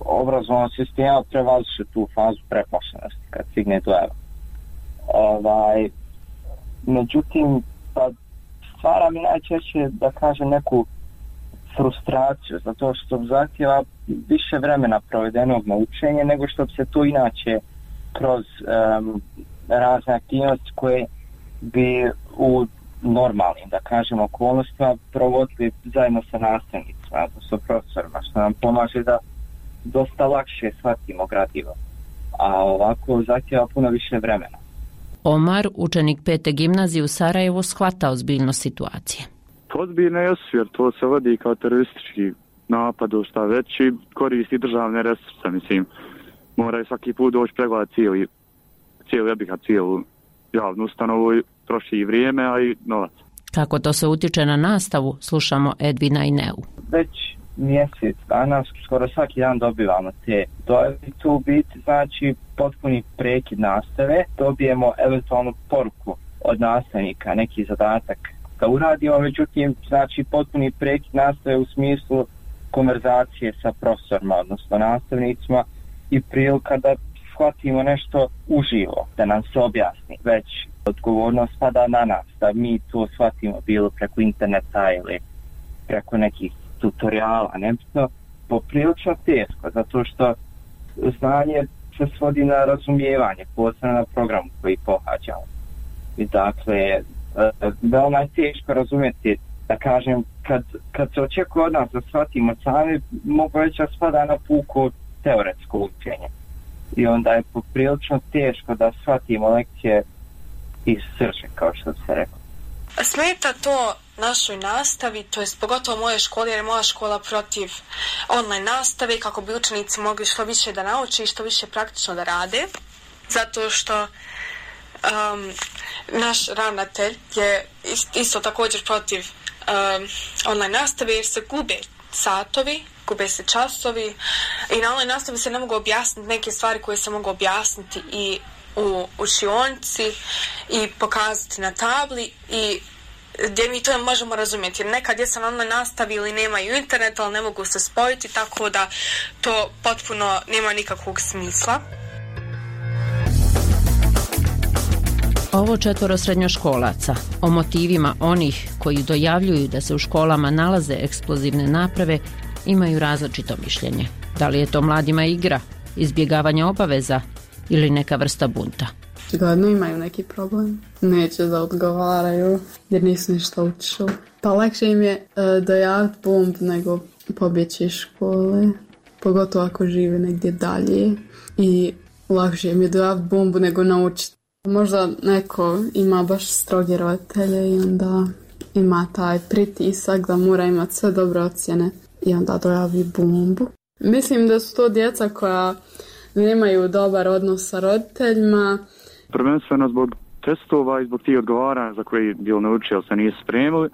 obrazovnog sistema prevazišli tu fazu preplašenosti kad stigne dojava. Međutim, stvara mi najčešće, da kažem, neku frustraciju, zato što zahtjeva više vremena provedenog na učenje nego što bi se to inače kroz razne aktivnosti koje bi u normalnim, da kažem, okolnostima provodili zajedno sa nastavnicima, sa profesorima, što nam pomaže da dosta lakše shvatimo gradivo. A ovako zahtjeva puno više vremena. Omar, učenik 5. gimnazije u Sarajevu, shvata ozbiljnost situacije. Ozbiljno je jer to se vodi kao teroristički napad, šta već, i koristi državne resurse, mislim. Moraju svaki put doći pregledati cijelu javnu ustanovu, troši i vrijeme, a i novac. Kako to se utiče na nastavu, slušamo Edvina i Neu. Već mjesec dana, skoro svaki dan dobivamo te dojave. Tu biti znači potpuni prekid nastave, dobijemo eventualnu poruku od nastavnika, neki zadatak da uradimo, međutim, znači potpuni prekid nastave u smislu konverzacije sa profesorima, odnosno nastavnicima i prilika da shvatimo nešto uživo, da nam se objasni. Već odgovornost pada na nas, da mi to shvatimo bilo preko interneta ili preko nekih tutoriala, nebitno, poprilično teško, zato što znanje se svodi na razumijevanje, posebno na programu koji pohađamo. I dakle, veoma je teško razumjeti, da kažem, kad se očekuje od nas da shvatimo sami, mogu reći da spada na puko teoretsko učenje. I onda je poprilično teško da shvatimo lekcije iz srže, kao što se rekao. Smeta to našoj nastavi, to jest pogotovo moje škole, jer je moja škola protiv online nastave, kako bi učenici mogli što više da nauče i što više praktično da rade, zato što naš ravnatelj je isto također protiv online nastave, jer se gube satovi, gube se časovi i na online nastavi se ne mogu objasniti neke stvari koje se mogu objasniti i u učionici i pokazati na tabli i gdje mi to možemo razumjeti. Jer neka djeca na online nastavi ili nemaju internet, ali ne mogu se spojiti, tako da to potpuno nema nikakvog smisla. Ovo 4 srednjoškolaca o motivima onih koji dojavljuju da se u školama nalaze eksplozivne naprave imaju različito mišljenje. Da li je to mladima igra, izbjegavanje obaveza ili neka vrsta bunta? Gledno imaju neki problem. Neće da odgovaraju jer nisu ništa učili. Pa lakše im je dojaviti bomb nego pobjeći iz škole. Pogotovo ako žive negdje dalje. I lakše im je dojaviti bombu nego naučiti. Možda neko ima baš stroge roditelje i onda ima taj pritisak da mora imati sve dobre ocjene i onda dojavi bombu. Mislim da su to djeca koja nemaju dobar odnos sa roditeljima. Prvenstveno zbog testova i zbog tih odgovaranja za koji bil naučio, ali se nisu spremili.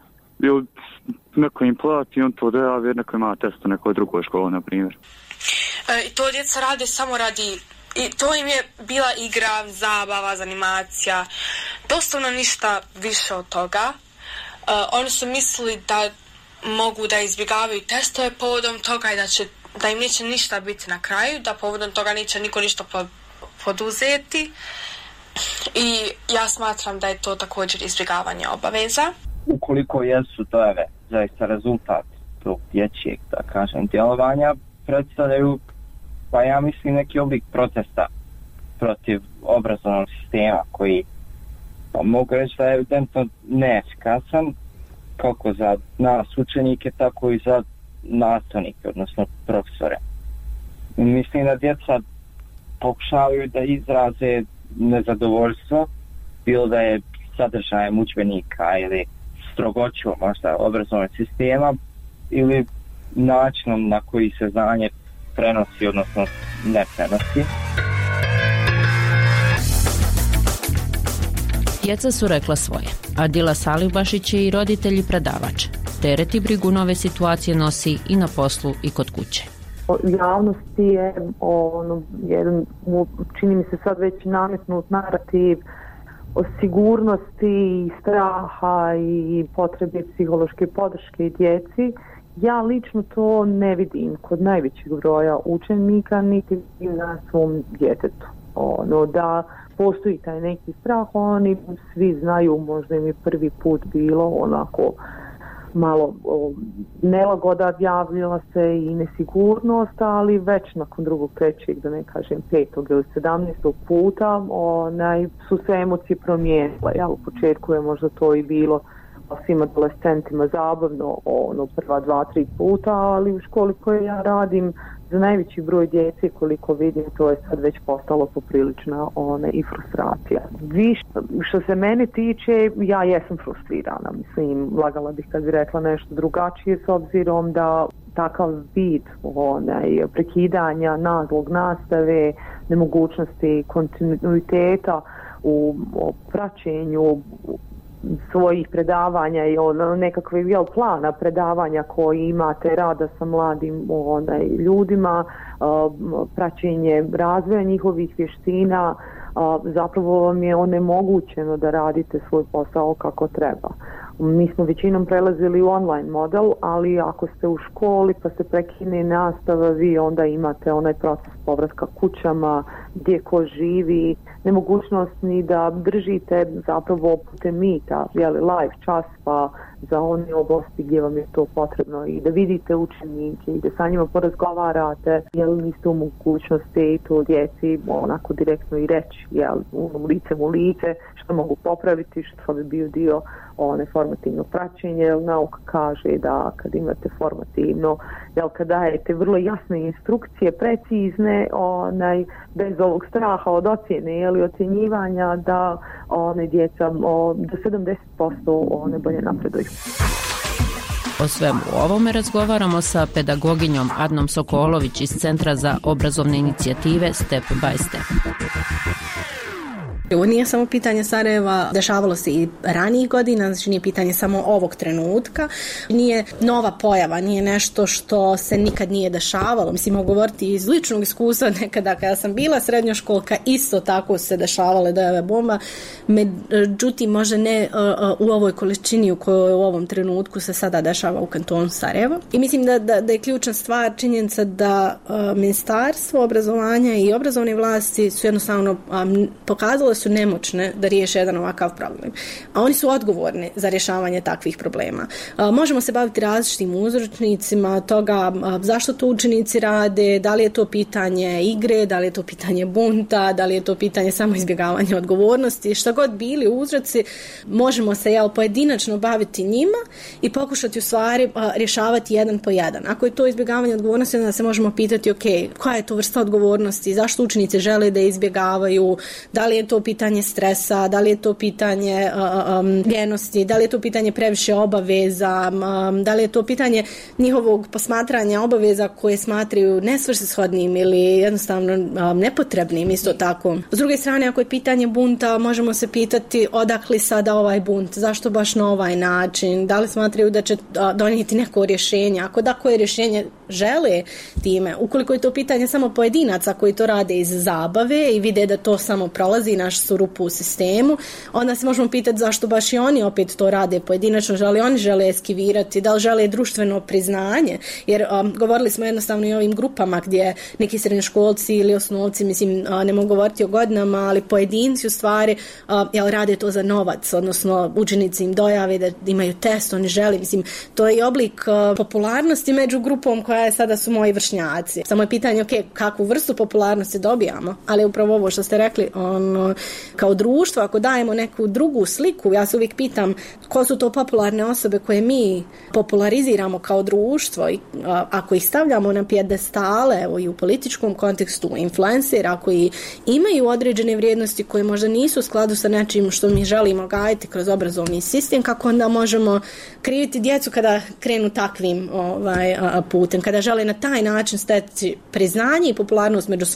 Neko im plati, on to dojavi, jer neko ima test u nekoj drugoj školi, na primjer. I to djeca rade samo radi... I to im je bila igra, zabava, zanimacija, doslovno ništa više od toga. Oni su mislili da mogu da izbjegavaju testove povodom toga i da im neće ništa biti na kraju, da povodom toga neće niko ništa poduzeti i ja smatram da je to također izbjegavanje obaveza. Ukoliko jesu dojave zaista rezultat tog dječjeg, da kažem, djelovanja, predstavljaju, pa ja mislim, neki oblik protesta protiv obrazovnog sistema koji, pa mogu reći da je evidentno neefikasan kako za nas učenike, tako i za nastavnike, odnosno profesore. Mislim da djeca pokušavaju da izraze nezadovoljstvo, bilo da je sadržajem udžbenika ili strogoću možda obrazovnog sistema ili načinom na koji se znanje prenosi, odnosno ne prenosi. Djeca su rekla svoje. Adila Salihbašić je i roditelj i predavač. Teret i brigu nove situacije nosi i na poslu i kod kuće. Javnosti je jedan, čini mi se sad već nametnut narativ o sigurnosti i straha i potrebi psihološke podrške djeci. Ja lično to ne vidim kod najvećeg broja učenika, niti na svom djetetu. Da postoji taj neki strah, oni svi znaju, možda im je prvi put bilo onako malo nelagoda, javljala se i nesigurnost, ali već nakon drugog, trećeg, da ne kažem 5. ili 17. puta su se emocije promijenile. U početku je možda to i bilo svim adolescentima zabavno prva 2-3 puta, ali u školi koje ja radim za najveći broj djece, koliko vidim, to je sad već postalo poprilična i frustracija. Što se mene tiče, ja jesam frustrirana. Mislim, lagala bih kad bi rekla nešto drugačije, s obzirom da takav vid prekidanja naglog nastave, nemogućnosti kontinuiteta u praćenju svojih predavanja i nekakve plana predavanja koji imate, rada sa mladim ljudima, praćenje razvoja njihovih vještina, zapravo vam je onemogućeno da radite svoj posao kako treba. Mi smo većinom prelazili u online model, ali ako ste u školi pa se prekine nastava, vi onda imate onaj proces povratka kućama, gdje ko živi, nemogućnost ni da držite zapravo putem Meeta, live čas pa za one oblasti gdje vam je to potrebno i da vidite učenike i da sa njima porazgovarate, niste u mogućnosti to djeci onako direktno i reći, licem u lice, što mogu popraviti, što bi bio dio formativno praćenje, jer nauka kaže da kad imate formativno, kad dajete vrlo jasne instrukcije, precizne, bez ovog straha od ocjene ili ocjenjivanja, da djeca do 70% bolje napreduju. O svemu ovome razgovaramo sa pedagoginjom Adnom Sokolović iz Centra za obrazovne inicijative Step by Step. Ovo nije samo pitanje Sarajeva, dešavalo se i ranijih godina, znači nije pitanje samo ovog trenutka, nije nova pojava, nije nešto što se nikad nije dešavalo. Mislim, mogu govoriti iz ličnog iskustva, nekada kada sam bila srednjoškolka, isto tako se dešavale dojave bomba, međutim možda ne u ovoj količini u kojoj u ovom trenutku se sada dešava u kantonu Sarajevo. I mislim da je ključna stvar činjenica da Ministarstvo obrazovanja i obrazovne vlasti su jednostavno pokazale su nemoćne da riješe jedan ovakav problem. A oni su odgovorni za rješavanje takvih problema. Možemo se baviti različitim uzročnicima toga zašto to učenici rade, da li je to pitanje igre, da li je to pitanje bunta, da li je to pitanje samo izbjegavanja odgovornosti, šta god bili uzroci, možemo se pojedinačno baviti njima i pokušati u stvari rješavati jedan po jedan. Ako je to izbjegavanje odgovornosti, onda se možemo pitati koja je to vrsta odgovornosti, zašto učenici žele da izbjegavaju, da li je to pitanje stresa, da li je to pitanje ljenosti, da li je to pitanje previše obaveza, da li je to pitanje njihovog posmatranja obaveza koje smatraju nesvrsishodnim ili jednostavno nepotrebnim isto tako. S druge strane, ako je pitanje bunta, možemo se pitati odakle sada ovaj bunt, zašto baš na ovaj način, da li smatraju da će donijeti neko rješenje, ako da koje rješenje žele time, ukoliko je to pitanje samo pojedinaca koji to rade iz zabave i vide da to samo prolazi naš našli su rupu u sistemu. Onda se možemo pitati zašto baš i oni opet to rade pojedinačno, da li oni žele eskivirati, da li žele društveno priznanje, jer govorili smo jednostavno i o ovim grupama gdje neki srednjoškolci ili osnovci, mislim, ne mogu govoriti o godinama, ali pojedinci u stvari rade to za novac, odnosno učenici im dojave da imaju test, oni žele, mislim, to je oblik popularnosti među grupom koja je sada su moji vršnjaci. Samo je pitanje, kakvu vrstu popularnosti dobijamo, ali upravo ovo što ste rekli, kao društvo, ako dajemo neku drugu sliku, ja se uvijek pitam ko su to popularne osobe koje mi populariziramo kao društvo i ako ih stavljamo na pijedestale, evo i u političkom kontekstu, influencera koji imaju određene vrijednosti koje možda nisu u skladu sa nečim što mi želimo gajiti kroz obrazovni sistem, kako onda možemo kriviti djecu kada krenu takvim putem, kada žele na taj način steći priznanje i popularnost među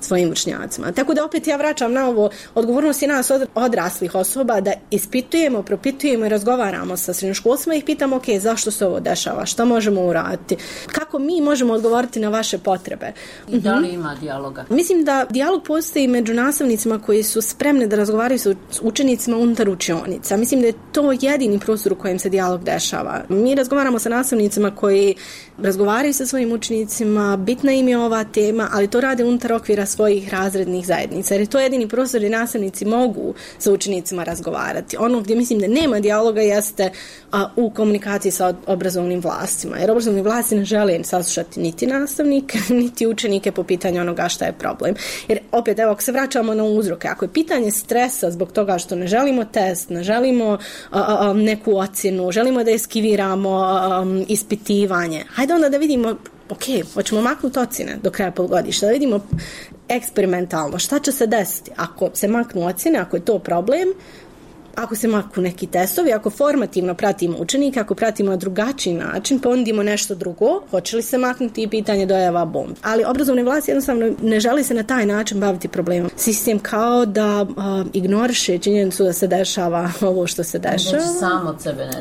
svojim vršnjacima. Tako da opet ja vraćam na ovo, odgovornost je nas odraslih osoba da ispitujemo, propitujemo i razgovaramo sa srednjoškolcima i ih pitamo zašto se ovo dešava, šta možemo uraditi, kako mi možemo odgovoriti na vaše potrebe. I da li ima dijaloga? Mislim da dijalog postoji među nastavnicima koji su spremni da razgovaraju sa učenicima unutar učionica. Mislim da je to jedini prostor u kojem se dijalog dešava. Mi razgovaramo sa nastavnicima koji razgovaraju sa svojim učenicima, bitna im je ova tema, ali to rade unutar okvira svojih razrednih zajednica. Jer je to jedini prostor gdje nastavnici mogu sa učenicima razgovarati. Ono gdje mislim da nema dijaloga jeste u komunikaciji sa obrazovnim vlastima. Jer obrazovni vlasti ne žele saslušati niti nastavnike, niti učenike po pitanju onoga šta je problem. Jer opet, evo, ako se vraćamo na uzroke, ako je pitanje stresa zbog toga što ne želimo test, ne želimo neku ocjenu, želimo da eskiviramo ispitivanje, hajde onda da vidimo, hoćemo maknuti ocjene do kraja polugodišta, da vidimo eksperimentalno šta će se desiti ako se maknu ocjene, ako je to problem, ako se maknu neki testovi, ako formativno pratimo učenike, ako pratimo na drugačiji način, ponudimo nešto drugo, hoće li se maknuti i pitanje dojava bomb. Ali obrazovne vlasti jednostavno ne želi se na taj način baviti problemom. Sistem kao da ignoriše činjenicu da se dešava ovo što se dešava.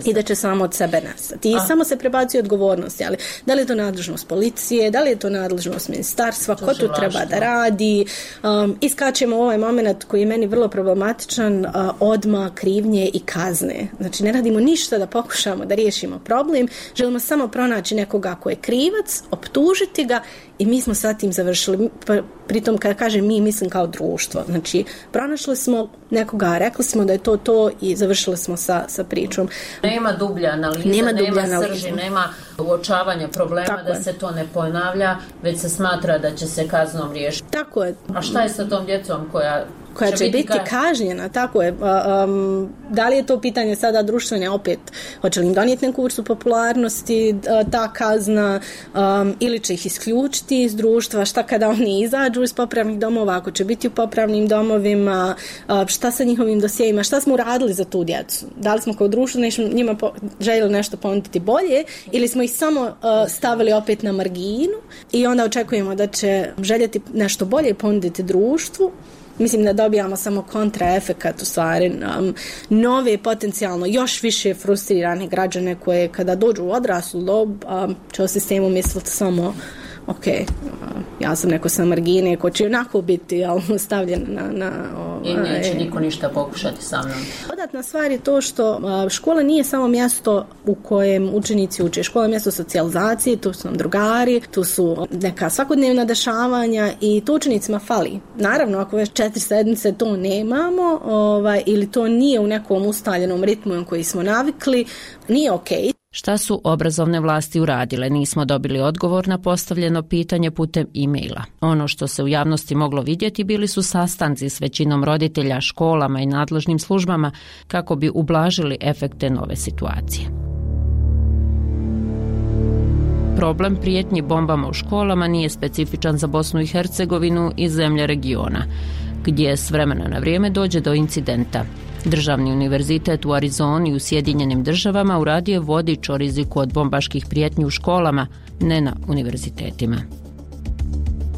I da će samo od sebe nestati. I samo se prebacuje odgovornosti. Ali da li je to nadležnost policije, da li je to nadležnost ministarstva, ko tu treba da radi. Iskačemo ovaj moment koji je meni vrlo problematičan, odmah krivnje i kazne. Znači, ne radimo ništa da pokušamo da riješimo problem, želimo samo pronaći nekoga ko je krivac, optužiti ga i mi smo sa tim završili. Pritom, kada kažem mi, mislim kao društvo. Znači, pronašli smo nekoga, rekli smo da je to i završili smo sa pričom. Nema dublja analiza, nema srži, nema uočavanja problema, da se to ne ponavlja, već se smatra da će se kaznom riješiti. Tako je. A šta je sa tom djecom koja će biti kažnjena, tako je. Da li je to pitanje sada društvene, opet, hoće li im donijeti neku vrstu popularnosti, ta kazna, ili će ih isključiti iz društva, šta kada oni izađu iz popravnih domova, ako će biti u popravnim domovima, šta sa njihovim dosjejima, šta smo uradili za tu djecu. Da li smo kao društvo njima željeli nešto ponuditi bolje ili smo ih samo stavili opet na marginu i onda očekujemo da će željeti nešto bolje ponuditi društvu. Mislim da dobijamo samo kontraefekat, u stvari nove potencijalno još više frustrirane građane koje kada dođu u odraslu dob će o sistemu misliti samo ja sam neko sa margine ko će onako biti stavljen na i neće niko ništa pokušati sa mnom. Dodatna stvar je to što škola nije samo mjesto u kojem učenici uče. Škola je mjesto socijalizacije, tu su nam drugari, tu su neka svakodnevna dešavanja i to učenicima fali. Naravno, ako već 4 sedmice to nemamo ili to nije u nekom ustaljenom ritmu na koji smo navikli, nije okej. Šta su obrazovne vlasti uradile? Nismo dobili odgovor na postavljeno pitanje putem e-maila. Ono što se u javnosti moglo vidjeti bili su sastanci s većinom roditelja, školama i nadležnim službama kako bi ublažili efekte nove situacije. Problem prijetnji bombama u školama nije specifičan za Bosnu i Hercegovinu i zemlje regiona, gdje s vremena na vrijeme dođe do incidenta. Državni univerzitet u Arizoni u Sjedinjenim Državama uradio je vodič o riziku od bombaških prijetnji u školama, ne na univerzitetima.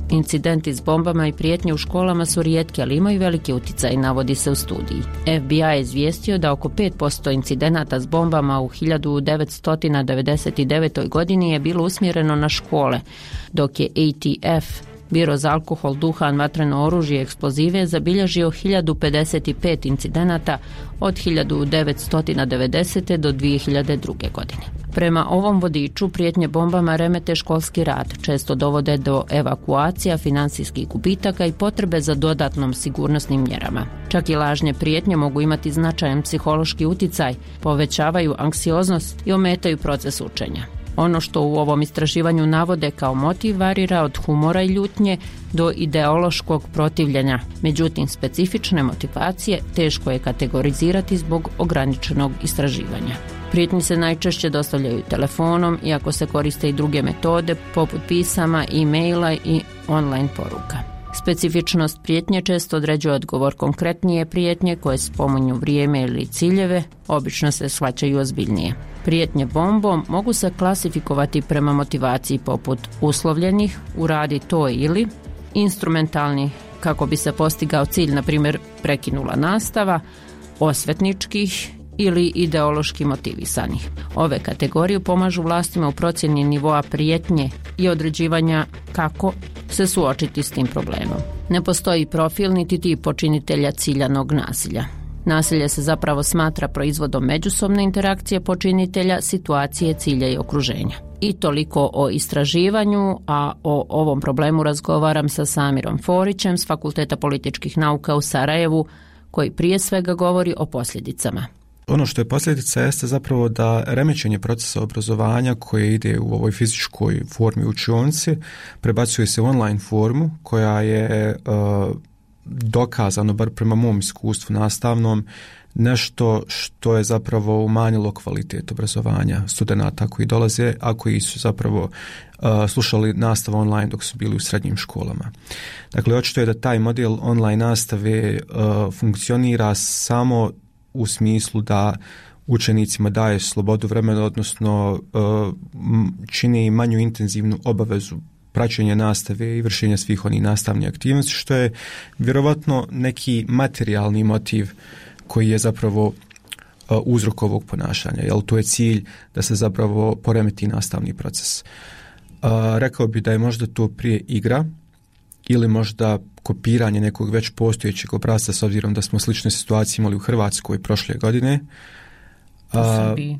Incidenti s bombama i prijetnje u školama su rijetki, ali imaju veliki utjecaj, navodi se u studiji. FBI je izvijestio da oko 5% incidenata s bombama u 1999. godini je bilo usmjereno na škole, dok je ATF Biro za alkohol, duhan, vatreno oružje i eksplozive zabilježio 1055 incidenata od 1990. do 2002. godine. Prema ovom vodiču prijetnje bombama remete školski rad, često dovode do evakuacija, finansijskih gubitaka i potrebe za dodatnom sigurnosnim mjerama. Čak i lažne prijetnje mogu imati značajan psihološki uticaj, povećavaju anksioznost i ometaju proces učenja. Ono što u ovom istraživanju navode kao motiv varira od humora i ljutnje do ideološkog protivljenja. Međutim, specifične motivacije teško je kategorizirati zbog ograničenog istraživanja. Prijetnje se najčešće dostavljaju telefonom, iako se koriste i druge metode poput pisama, e-maila i online poruka. Specifičnost prijetnje često određuje odgovor. Konkretnije prijetnje koje spominju vrijeme ili ciljeve obično se shvaćaju ozbiljnije. Prijetnje bombom mogu se klasifikovati prema motivaciji poput uslovljenih, uradi to ili, instrumentalnih kako bi se postigao cilj, na primjer prekinula nastava, osvetničkih ili ideološki motivisanih. Ove kategorije pomažu vlastima u procjeni nivoa prijetnje i određivanja kako se suočiti s tim problemom. Ne postoji profil niti tip počinitelja ciljanog nasilja. Nasilje se zapravo smatra proizvodom međusobne interakcije počinitelja, situacije, cilja i okruženja. I toliko o istraživanju, a o ovom problemu razgovaram sa Samirom Forićem s Fakulteta političkih nauka u Sarajevu, koji prije svega govori o posljedicama. Ono što je posljedica jeste zapravo da remećenje procesa obrazovanja koje ide u ovoj fizičkoj formi učionici prebacuje se u online formu koja je dokazano, bar prema mom iskustvu nastavnom, nešto što je zapravo umanjilo kvalitet obrazovanja studenata koji dolaze, a koji su zapravo slušali nastavu online dok su bili u srednjim školama. Dakle, očito je da taj model online nastave funkcionira samo u smislu da učenicima daje slobodu vremena, odnosno čini manju intenzivnu obavezu praćenja nastave i vršenja svih onih nastavnih aktivnosti, što je vjerovatno neki materijalni motiv koji je zapravo uzrok ovog ponašanja, jer to je cilj da se zapravo poremeti nastavni proces. Rekao bi da je možda to prije igra ili možda kopiranje nekog već postojećeg obrasca, s obzirom da smo slične situacije imali u Hrvatskoj prošle godine.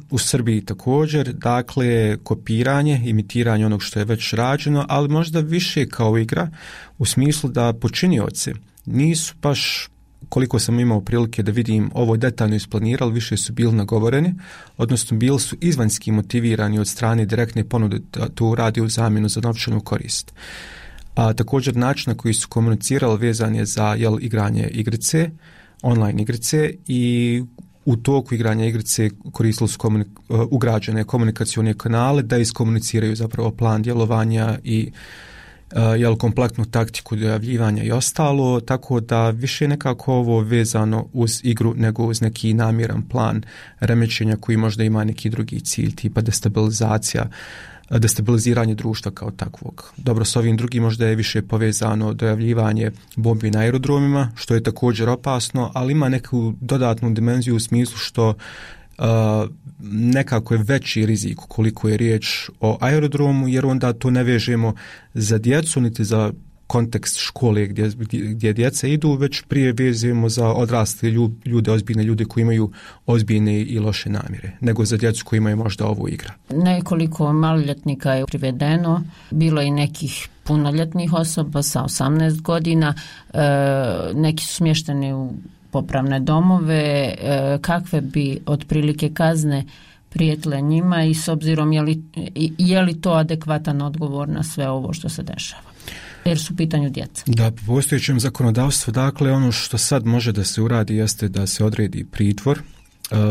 U Srbiji također, dakle kopiranje, imitiranje onog što je već rađeno, ali možda više kao igra u smislu da počinioci nisu baš, koliko sam imao prilike da vidim, ovo detaljno isplanirali, više su bili nagovoreni, odnosno bili su izvanjski motivirani od strane direktne ponude da to radi u zamjenu za novčanu korist. A također način na koji su komunicirali vezan je za igranje igrice, online igrice, i u toku igranja igrice koristili su ugrađene komunikacione kanale da iskomuniciraju zapravo plan djelovanja i kompletnu taktiku dojavljivanja i ostalo, tako da više nekako ovo vezano uz igru nego uz neki namjeran plan remećenja koji možda ima neki drugi cilj, tipa destabiliziranje društva kao takvog. Dobro, s ovim drugim možda je više povezano dojavljivanje bombi na aerodromima, što je također opasno, ali ima neku dodatnu dimenziju u smislu što nekako je veći rizik koliko je riječ o aerodromu, jer onda to ne vežemo za djecu niti za kontekst škole gdje djeca idu, već prije vezujemo za odrasle ljude, ozbiljne ljude koji imaju ozbiljne i loše namjere, nego za djecu koji imaju možda ovo igra. Nekoliko maloljetnika je privedeno, bilo i nekih punoljetnih osoba sa 18 godina, neki su smješteni u popravne domove. Kakve bi otprilike kazne prijetile njima i s obzirom je li to adekvatan odgovor na sve ovo što se dešava? Jer su u pitanju djeca. Da, po postojećem zakonodavstvu, dakle, ono što sad može da se uradi jeste da se odredi pritvor.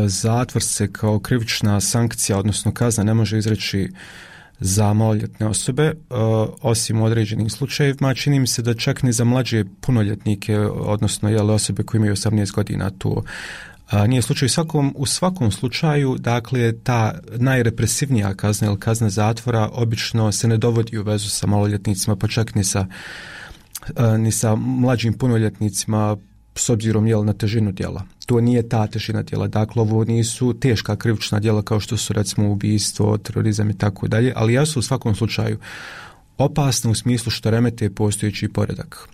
Zatvor se kao krivična sankcija, odnosno kazna, ne može izreći za maloljetne osobe, osim u određenim slučajevima. Čini mi se da čak ni za mlađe punoljetnike, odnosno osobe koje imaju 18 godina, to nije slučaj. U svakom slučaju, dakle, ta najrepresivnija kazna ili kazna zatvora obično se ne dovodi u vezu sa maloljetnicima, pa čak ni sa mlađim punoljetnicima, s obzirom na težinu djela. To nije ta težina djela, dakle ovo nisu teška krivična djela kao što su recimo ubijstvo, terorizam i tako dalje, ali jesu u svakom slučaju opasne u smislu što remete postojeći poredak.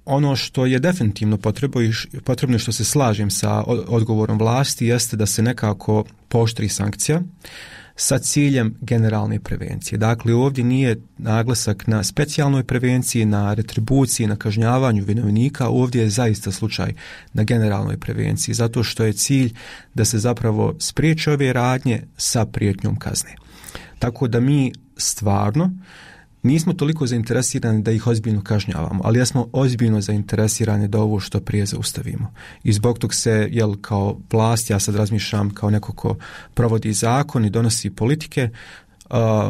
Ono što je definitivno potrebno što se slažem sa odgovorom vlasti jeste da se nekako pooštri sankcija sa ciljem generalne prevencije. Dakle, ovdje nije naglasak na specijalnoj prevenciji, na retribuciji, na kažnjavanju vinovnika, ovdje je zaista slučaj na generalnoj prevenciji, zato što je cilj da se zapravo spriječe ove radnje sa prijetnjom kazne. Tako da mi stvarno nismo toliko zainteresirani da ih ozbiljno kažnjavamo, ali jesmo ozbiljno zainteresirani da ovo što prije zaustavimo. I zbog tog se, kao vlast, ja sad razmišljam kao neko ko provodi zakon i donosi politike,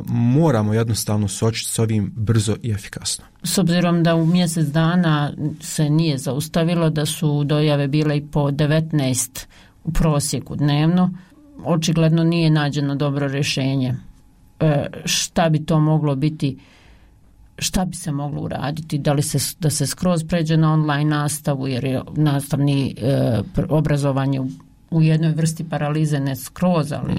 moramo jednostavno suočiti s ovim brzo i efikasno. S obzirom da u mjesec dana se nije zaustavilo, da su dojave bile i po 19 u prosjeku dnevno, očigledno nije nađeno dobro rješenje. Šta bi to moglo biti, šta bi se moglo uraditi, da se skroz pređe na online nastavu, jer je nastavni obrazovanje u jednoj vrsti paralize, ne skroz, ali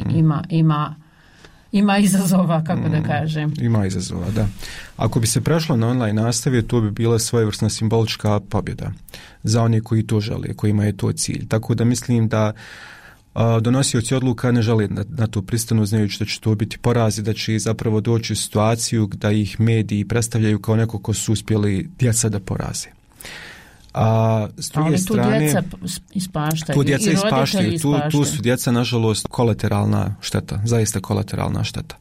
ima izazova, kako da kažem. Ima izazova, da. Ako bi se prešlo na online nastave, to bi bila svojevrsna simbolička pobjeda za one koji to žele, kojima je to cilj. Tako da mislim da donosioci odluka ne žele na to pristanu, znajući da će to biti poraz i da će zapravo doći u situaciju da ih mediji predstavljaju kao neko ko su uspjeli djeca da poraze. S druge strane, ispaštaju. Tu djeca ispaštaju. Tu su djeca, nažalost, kolateralna šteta, zaista kolateralna šteta.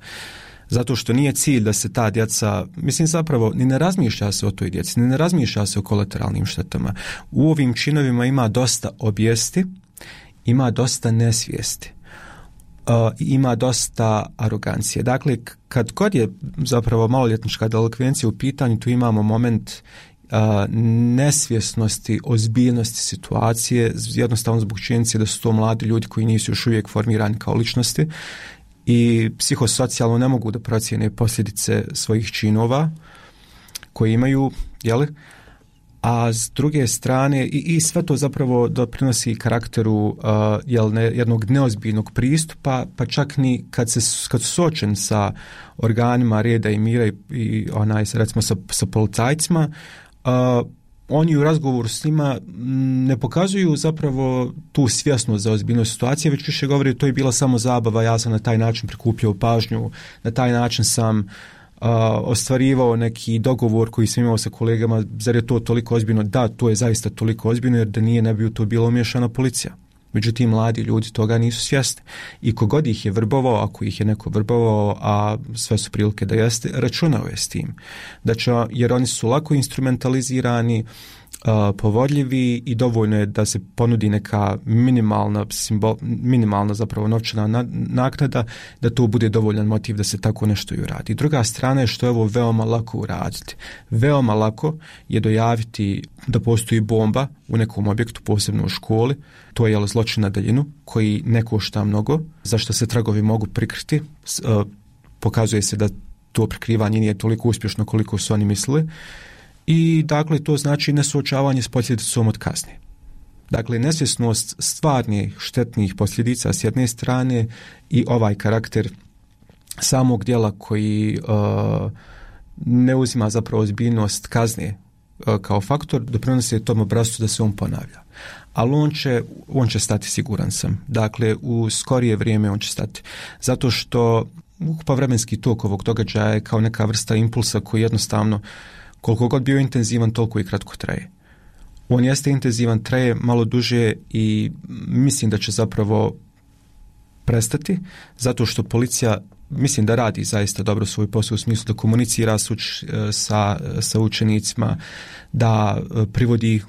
Zato što nije cilj da se ta djeca, mislim zapravo, ni ne razmišlja se o toj djeci, ni ne razmišlja se o kolateralnim štetama. U ovim činovima ima dosta obijesti, ima dosta nesvijesti, ima dosta arogancije. Dakle, kad god je zapravo maloljetnička delikvencija u pitanju, tu imamo moment nesvjesnosti, ozbiljnosti situacije, jednostavno zbog činjenice da su to mladi ljudi koji nisu još uvijek formirani kao ličnosti i psihosocijalno ne mogu da procijene posljedice svojih činova koje imaju, a s druge strane i sve to zapravo doprinosi karakteru jednog neozbiljnog pristupa, pa čak ni kad su suočeni sa organima reda i mira i recimo sa policajcima, oni u razgovoru s njima ne pokazuju zapravo tu svjesnost za ozbiljnost situacije, već više govori to je bila samo zabava, ja sam na taj način prikupljao pažnju, na taj način sam ostvarivao neki dogovor koji sam imao sa kolegama, zar je to toliko ozbiljno? Da, to je zaista toliko ozbiljno, jer da nije, ne bi u to bilo umiješana policija. Međutim, mladi ljudi toga nisu svjesni. I kogod ih je vrbovao, ako ih je neko vrbovao, a sve su prilike da jeste, računao je s tim. Jer oni su lako instrumentalizirani, povodljivi i dovoljno je da se ponudi neka minimalna zapravo novčana naknada, da to bude dovoljan motiv da se tako nešto i uradi. Druga strana je što je ovo veoma lako uraditi. Veoma lako je dojaviti da postoji bomba u nekom objektu, posebno u školi. To je zločin na daljinu koji ne košta mnogo, zašto se tragovi mogu prikriti. Pokazuje se da to prikrivanje nije toliko uspješno koliko su oni mislili. I dakle to znači nesuočavanje s posljedicom od kazne. Dakle, nesvjesnost stvarnih štetnih posljedica s jedne strane i ovaj karakter samog djela koji ne uzima zapravo ozbiljnost kazne kao faktor, doprinosi tom obrascu da se on ponavlja. Ali on će stati, siguran sam. Dakle, u skorije vrijeme on će stati. Zato što ukupan vremenski tok ovog događaja je kao neka vrsta impulsa koji jednostavno, koliko god bio intenzivan, toliko i kratko traje. On jeste intenzivan, traje malo duže i mislim da će zapravo prestati, zato što policija mislim da radi zaista dobro svoj posao u smislu da komunicira sa učenicima, da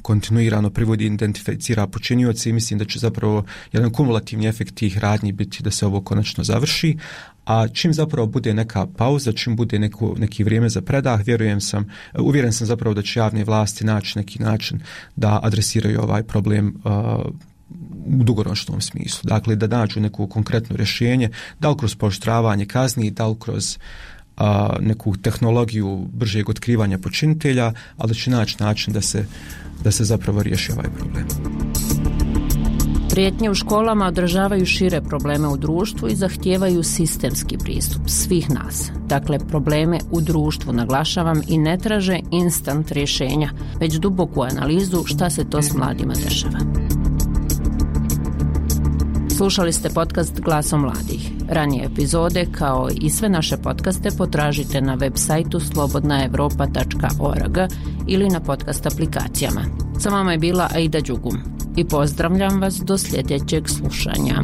kontinuirano privodi, identificira počinioce i mislim da će zapravo jedan kumulativni efekt tih radnji biti da se ovo konačno završi. A čim zapravo bude neka pauza, čim bude neki vrijeme za predah, uvjeren sam zapravo da će javne vlasti naći neki način da adresiraju ovaj problem u dugoročnom smislu. Dakle, da nađu neko konkretno rješenje, da li kroz pooštravanje kazni, da li kroz neku tehnologiju bržeg otkrivanja počinitelja, ali da će naći način da se zapravo riješi ovaj problem. Prijetnje u školama odražavaju šire probleme u društvu i zahtijevaju sistemski pristup svih nas. Dakle, probleme u društvu naglašavam i ne traže instant rješenja, već duboku analizu šta se to s mladima dešava. Slušali ste podcast Glasom mladih. Ranije epizode, kao i sve naše podcaste, potražite na web sajtu slobodnaevropa.org ili na podcast aplikacijama. Sa vama je bila Aida Đugum i pozdravljam vas do sljedećeg slušanja.